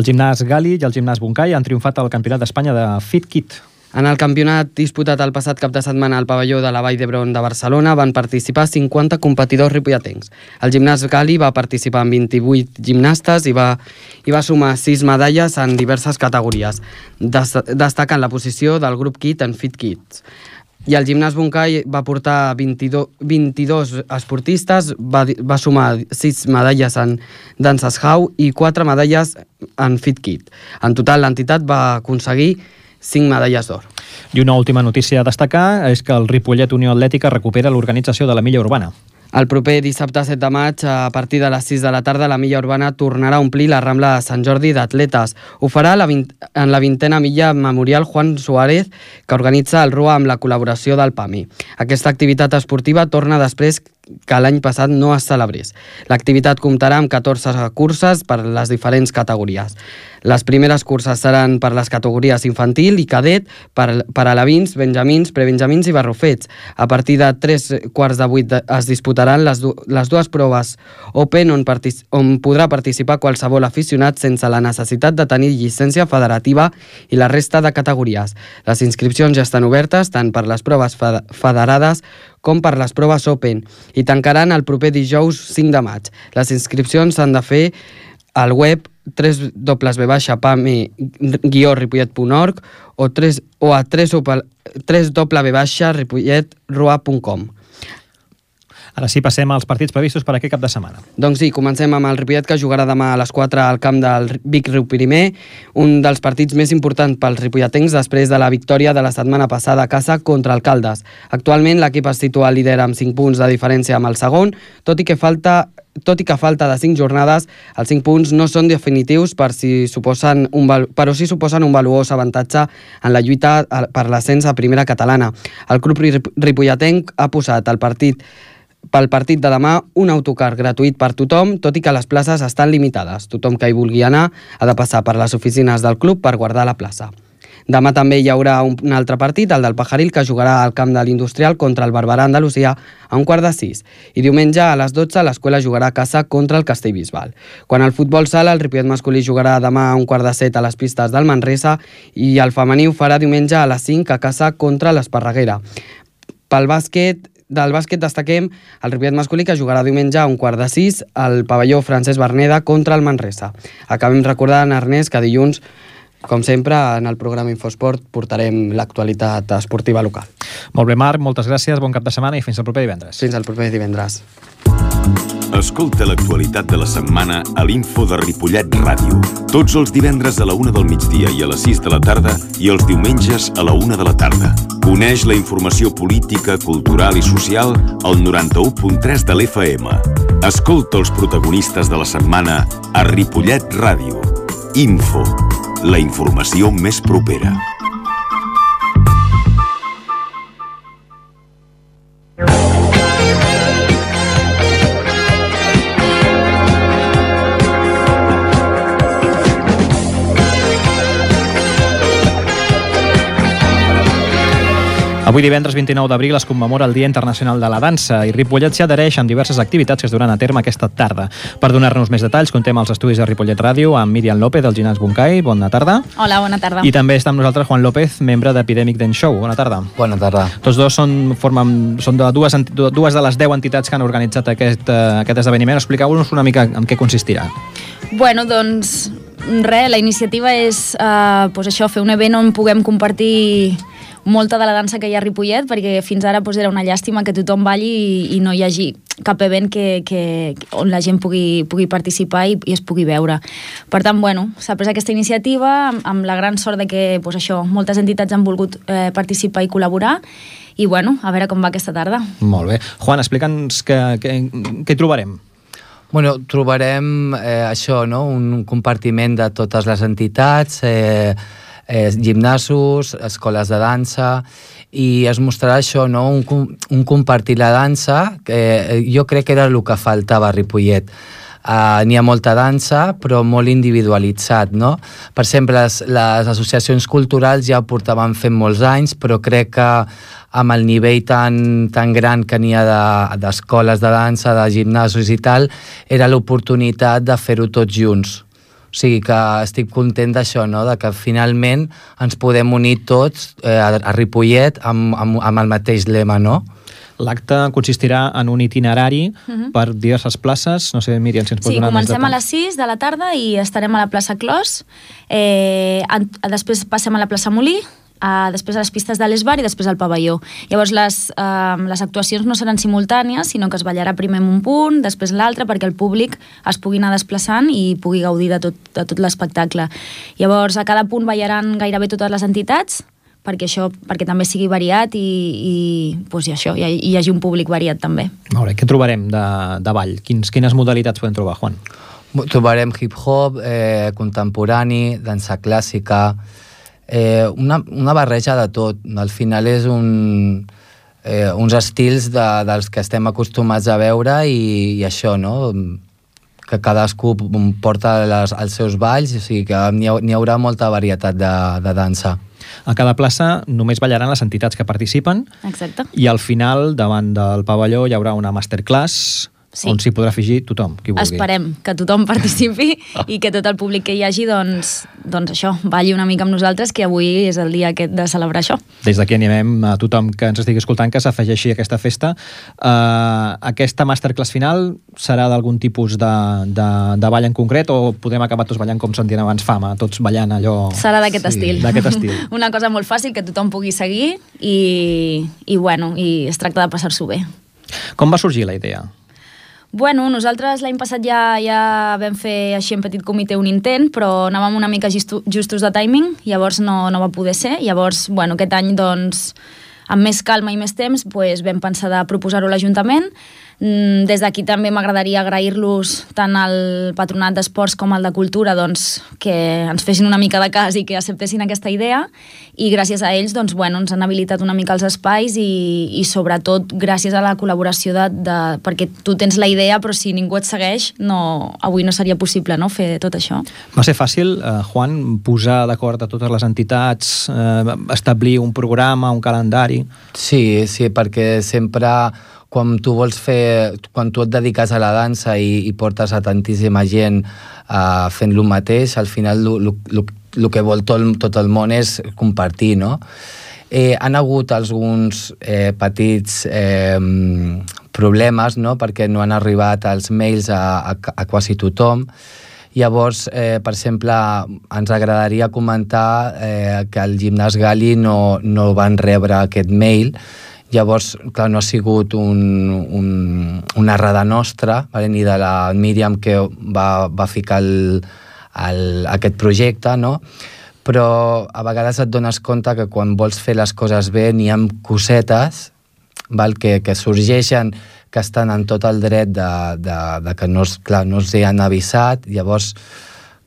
El gimnàs Gali i el gimnàs Buncay han triomfat al Campionat d'Espanya de Fit Kit. En el campionat disputat el passat cap de setmana al pavelló de la Vall d'Hebron de Barcelona van participar cinquanta competidors ripolletens. El gimnàs Gali va participar amb vint-i-vuit gimnastes i va, i va sumar sis medalles en diverses categories, des, destacant la posició del grup Kit en Fit Kids. I el gimnàs Buncay va portar vint-i-dos, vint-i-dos esportistes, va, va sumar sis medalles en danses Hau i quatre medalles en Fit Kit. En total, l'entitat va aconseguir cinc medalles d'or. I una última notícia a destacar és que el Ripollet Unió Atlètica recupera l'organització de la Milla Urbana. El proper dissabte set de maig, a partir de les sis de la tarda, la Milla Urbana tornarà a omplir la Rambla de Sant Jordi d'atletes. Ho farà la vint, en la vintena Milla Memorial Juan Suárez, que organitza el R U A amb la col·laboració del P A M I. Aquesta activitat esportiva torna després que l'any passat no es celebrés. L'activitat comptarà amb catorze curses per les diferents categories. Les primeres curses seran per les categories infantil i cadet, per, per alevins, benjamins, prebenjamins i barrufets. A partir de tres quarts de vuit es disputaran les, du les dues proves Open on, on podrà participar qualsevol aficionat sense la necessitat de tenir llicència federativa i la resta de categories. Les inscripcions ja estan obertes tant per les proves federades com per les proves Open i tancaran el proper dijous cinc de maig. Les inscripcions s'han de fer al web w w w punt pami guió ripollet punt org o, o a w w w punt ripollet rua punt com. Ara sí, passem als partits previstos per aquest cap de setmana. Doncs sí, comencem amb el Ripollet, que jugarà demà a les quatre al camp del Vic Riu Primer, un dels partits més importants pels ripolletens després de la victòria de la setmana passada a casa contra el Caldes. Actualment l'equip es situa líder amb cinc punts de diferència amb el segon, tot i que falta Tot i que a falta de cinc jornades, els cinc punts no són definitius per si suposen un, però sí suposen un valuós avantatge en la lluita per l'ascens a primera catalana. El club ripolletenc ha posat el partit pel partit de demà un autocar gratuït per tothom, tot i que les places estan limitades. Tothom que hi vulgui anar ha de passar per les oficines del club per guardar la plaça. Demà també hi haurà un altre partit, el del Pajaril, que jugarà al camp de l'Industrial contra el Barberà Andalusia a un quart de sis. I diumenge a les dotze l'Escola jugarà a casa contra el Castellbisbal. Quan al futbol sala, el Ripollet masculí jugarà demà a un quart de set a les pistes del Manresa i el femení ho farà diumenge a les cinc a casa contra l'Esparreguera. Pel bàsquet, del bàsquet destaquem el Ripollet masculí, que jugarà diumenge a un quart de sis al pavelló Francesc Berneda contra el Manresa. Acabem recordant, Ernest, que dilluns, com sempre, en el programa Infosport portarem l'actualitat esportiva local. Molt bé, Marc, moltes gràcies, bon cap de setmana i fins al proper divendres. Fins al proper divendres. Escolta l'actualitat de la setmana a l'Info de Ripollet Ràdio. Tots els divendres a la una del migdia i a les sis de la tarda i els diumenges a la una de la tarda. Coneix la informació política, cultural i social al noranta-u punt tres de l'F M. Escolta els protagonistes de la setmana a Ripollet Ràdio. Info, la informació més propera. Avui divendres vint-i-nou d'abril es commemora el Dia Internacional de la Dansa i Ripollet s'hi adhereix amb diverses activitats que es duran a terme aquesta tarda. Per donar-nos més detalls, contem als estudis de Ripollet Ràdio amb Míriam López del Gimnàs Buncay. Bona tarda. Hola, bona tarda. I també està amb nosaltres Juan López, membre d'Epidemic Dance Show. Bona tarda. Bona tarda. Tots dos són, formen, són de dues, dues de les deu entitats que han organitzat aquest, aquest esdeveniment. Expliqueu-nos una mica en què consistirà. Bueno, doncs, res, la iniciativa és eh, pues això, fer un event on puguem compartir molta de la dansa que hi ha a Ripollet, perquè fins ara pues, era una llàstima que tothom balli i, i no hi hagi cap event que, que, on la gent pugui, pugui participar i, i es pugui veure. Per tant, bueno, s'ha pres aquesta iniciativa amb, amb la gran sort de que pues, això, moltes entitats han volgut eh, participar i col·laborar i bueno, a veure com va aquesta tarda. Molt bé. Juan, explica'ns què, què, què hi trobarem. Bueno, trobarem eh, això, no? Un compartiment de totes les entitats, eh, eh, gimnasos, escoles de dansa, i es mostrarà això, no? un, un compartir la dansa, que eh, jo crec que era el que faltava a Ripollet. Uh, n'hi ha molta dansa, però molt individualitzat, no? Per exemple, les, les associacions culturals ja ho portaven fent molts anys, però crec que amb el nivell tan, tan gran que n'hi ha d'escoles de, de dansa, de gimnasos i tal, era l'oportunitat de fer-ho tots junts. O sigui que estic content d'això, no? De que finalment ens podem unir tots eh, a, a Ripollet amb, amb, amb el mateix lema, no? L'acte consistirà en un itinerari uh-huh. per diverses places. No sé, Míriam, si ens pots sí, donar més detalls. Sí, comencem a les sis de la tarda i estarem a la plaça Clos. Eh, després passem a la plaça Molí, uh, després a les pistes de l'Esbar i després al pavelló. Llavors les, uh, les actuacions no seran simultànies, sinó que es ballarà primer en un punt, després l'altre, perquè el públic es pugui anar desplaçant i pugui gaudir de tot, de tot l'espectacle. Llavors a cada punt ballaran gairebé totes les entitats, perquè això, perquè també sigui variat i, i, pues, i això, i hi hagi un públic variat també. Molt bé, què trobarem de, de ball? Quins, quines modalitats podem trobar, Juan? Trobarem hip-hop, eh, contemporani, dansa clàssica, eh, una, una barreja de tot. Al final és un, eh, uns estils de, dels que estem acostumats a veure i, i això, no?, que cadascú porta les, els seus balls, o sigui que n'hi ha, n'hi haurà molta varietat de, de dansa. A cada plaça només ballaran les entitats que participen. Exacte. I al final, davant del pavelló, hi haurà una masterclass sí. on s'hi podrà afegir tothom, qui vulgui. Esperem que tothom participi i que tot el públic que hi hagi, doncs, doncs això, balli una mica amb nosaltres, que avui és el dia aquest de celebrar això. Des d'aquí animem a tothom que ens estigui escoltant que s'afegeixi a aquesta festa. Uh, aquesta masterclass final serà d'algun tipus de, de, de ball en concret o podem acabar tots ballant com sentíem abans Fama, tots ballant allò... Serà d'aquest sí, estil. D'aquest estil. Una cosa molt fàcil que tothom pugui seguir i, i, bueno, i es tracta de passar-s'ho bé. Com va sorgir la idea? Bueno, nosaltres l'any passat ja, ja vam fer així en petit comitè un intent, però anàvem una mica justu, justos de timing, llavors no, no va poder ser. Llavors, bueno, aquest any, doncs, amb més calma i més temps, pues, vam pensar de proposar-ho a l'Ajuntament. Des d'aquí també m'agradaria agrair-los tant al Patronat d'Esports com al de Cultura, doncs, que ens fessin una mica de cas i que acceptessin aquesta idea, i gràcies a ells doncs, bueno, ens han habilitat una mica els espais i, i sobretot gràcies a la col·laboració de, de, perquè tu tens la idea però si ningú et segueix no, avui no seria possible, no?, fer tot això. Va ser fàcil, eh, Juan, posar d'acord a totes les entitats, eh, establir un programa, un calendari? Sí, sí, perquè sempre quan tu vols fer, quan tu et dediques a la dansa i, i portes a tantíssima gent uh, fent lo mateix, al final el que vol tot, tot el món és compartir, no? Eh, han hagut alguns eh, petits eh, problemes, no?, perquè no han arribat els mails a, a, a quasi tothom. Llavors, eh, per exemple, ens agradaria comentar eh, que al Gimnàs Gali no, no van rebre aquest mail. Llavors, clar, no ha sigut un, un, una errada nostra, vale? Ni de la Míriam que va, va ficar el, el, aquest projecte, no? Però a vegades et dones compte que quan vols fer les coses bé n'hi ha cosetes, val? Que, que sorgeixen, que estan en tot el dret de, de, de que no, clar, no els han avisat. Llavors,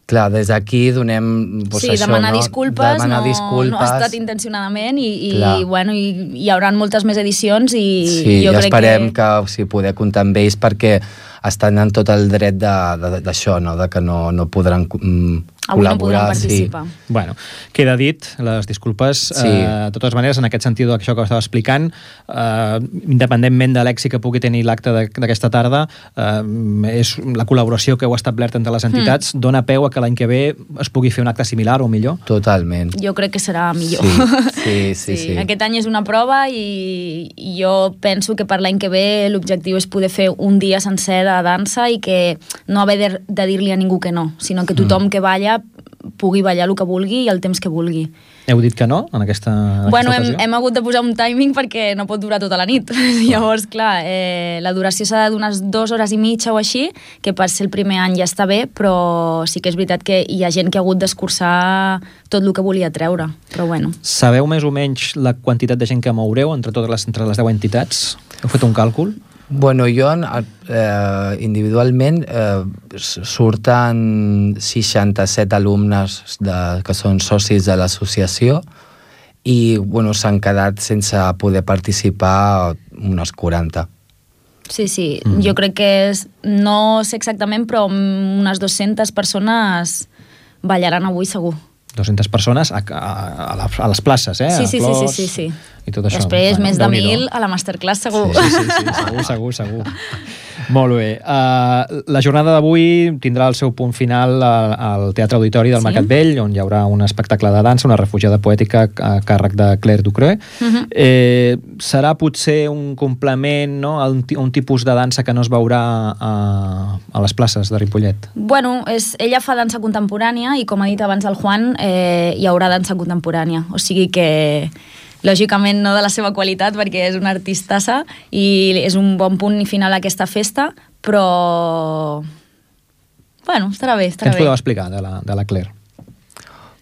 clar, des d'aquí donem... Pues, sí, això, demanar no? disculpes, demanar no, disculpes. no ha estat intencionadament i, i, bueno, i hi haurà moltes més edicions i sí, jo i crec esperem que... que o sigui, poder comptar amb ells perquè estan en tot el dret d'això, no? De que no, no podran mm, avui no podran col·laborar. participar. Sí. Bueno, queda dit, les disculpes. Sí. Eh, de totes maneres, en aquest sentit d'això que estava explicant, eh, independentment de l'èxit que pugui tenir l'acte d'aquesta tarda, eh, és la col·laboració que heu establert entre les entitats, mm. dona peu a que l'any que ve es pugui fer un acte similar o millor? Totalment. Jo crec que serà millor. Sí, sí, sí. sí. sí. Aquest any és una prova i, i jo penso que per l'any que ve l'objectiu és poder fer un dia sencer de dansa i que no haver de, de dir-li a ningú que no, sinó que tothom mm. que balla pugui ballar el que vulgui i el temps que vulgui. Heu dit que no, en aquesta, en bueno, aquesta hem, hem hagut de posar un timing perquè no pot durar tota la nit. Llavors, clar, eh, la duració s'ha d'unes dues hores i mitja o així, que per ser el primer any ja està bé, però sí que és veritat que hi ha gent que ha hagut d'escurçar tot el que volia treure, però bueno. Sabeu més o menys la quantitat de gent que moureu entre totes les, entre les deu entitats? Heu fet un càlcul? Bueno, jo eh, individualment eh, surten seixanta-set alumnes de, que són socis de l'associació i bueno, s'han quedat sense poder participar unes quaranta. Sí, sí, mm. jo crec que és, no sé exactament, però unes dues-centes persones ballaran avui segur. dues-centes persones a, a, a, a les places, eh? Sí, sí, a sí, sí, sí. I tot això. Després, bueno, més de mil a la masterclass, segur. Sí, sí, sí, sí, segur, segur, segur. Molt bé. Uh, la jornada d'avui tindrà el seu punt final al, al Teatre Auditori del sí. Mercat Vell, on hi haurà un espectacle de dansa, una refugiada poètica a càrrec de Claire Ducreux. Uh -huh. eh, serà potser un complement, no?, a un, un tipus de dansa que no es veurà a, a les places de Ripollet. Bueno, és, ella fa dansa contemporània i, com ha dit abans el Juan, eh, hi haurà dansa contemporània. O sigui que, lògicament, no de la seva qualitat, perquè és una artistassa i és un bon punt final a aquesta festa, però... Bueno, estarà bé, estarà Què ens bé. podeu explicar de la, de la Claire?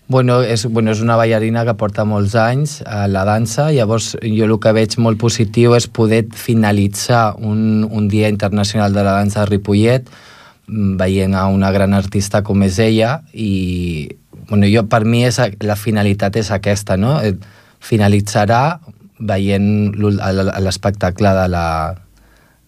Bueno, és, bueno, és una ballarina que porta molts anys a la dansa, llavors jo el que veig molt positiu és poder finalitzar un, un Dia Internacional de la Dansa de Ripollet veient a una gran artista com és ella i bueno, jo, per mi és, la finalitat és aquesta, no? Finalitzarà veient l'espectacle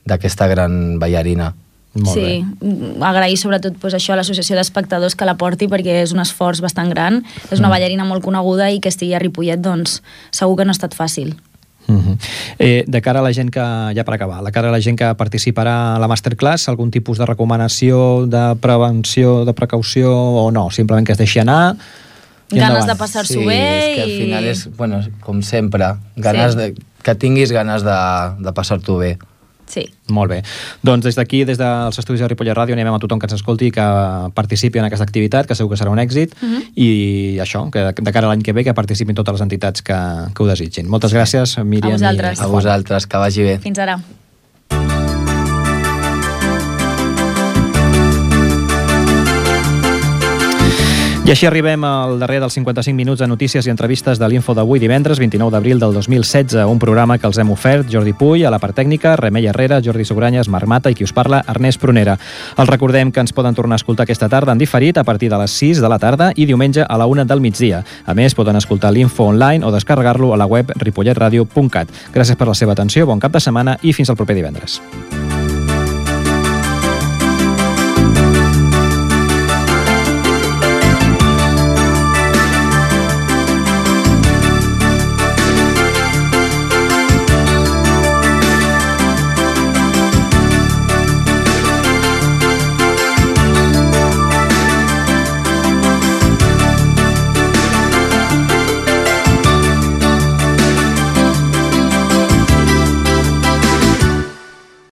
d'aquesta gran ballarina. Molt sí, bé. Agrair sobretot pues, això a l'associació d'espectadors que la porti perquè és un esforç bastant gran, és una mm. ballarina molt coneguda i que estigui a Ripollet, doncs segur que no ha estat fàcil. Mm-hmm. eh, de cara a la gent que, ja per acabar, de cara a la gent que participarà a la masterclass, algun tipus de recomanació, de prevenció, de precaució o no? Simplement que es deixi anar... Ganes de passar-s'ho sí, bé és que al i... final és, bueno, com sempre, ganes sí. de, que tinguis ganes de, de passar-t'ho bé. Sí. Molt bé. Doncs des d'aquí, des dels estudis de Ripollet Ràdio, animem a tothom que ens escolti que participi en aquesta activitat, que segur que serà un èxit, uh-huh. i això, que de cara a l'any que ve que participin totes les entitats que, que ho desitgin. Moltes gràcies, Míriam. A vosaltres. I a vosaltres, que vagi bé. Fins ara. I així arribem al darrer dels cinquanta-cinc minuts de notícies i entrevistes de l'Info d'avui divendres, vint-i-nou d'abril del dos mil setze, un programa que els hem ofert Jordi Puy, a la part tècnica, Remei Herrera, Jordi Sogranyes, Marc Mata i qui us parla, Ernest Prunera. Els recordem que ens poden tornar a escoltar aquesta tarda en diferit a partir de les sis de la tarda i diumenge a la una del migdia. A més, poden escoltar l'Info online o descarregar-lo a la web ripolletradio punt cat. Gràcies per la seva atenció, bon cap de setmana i fins al proper divendres.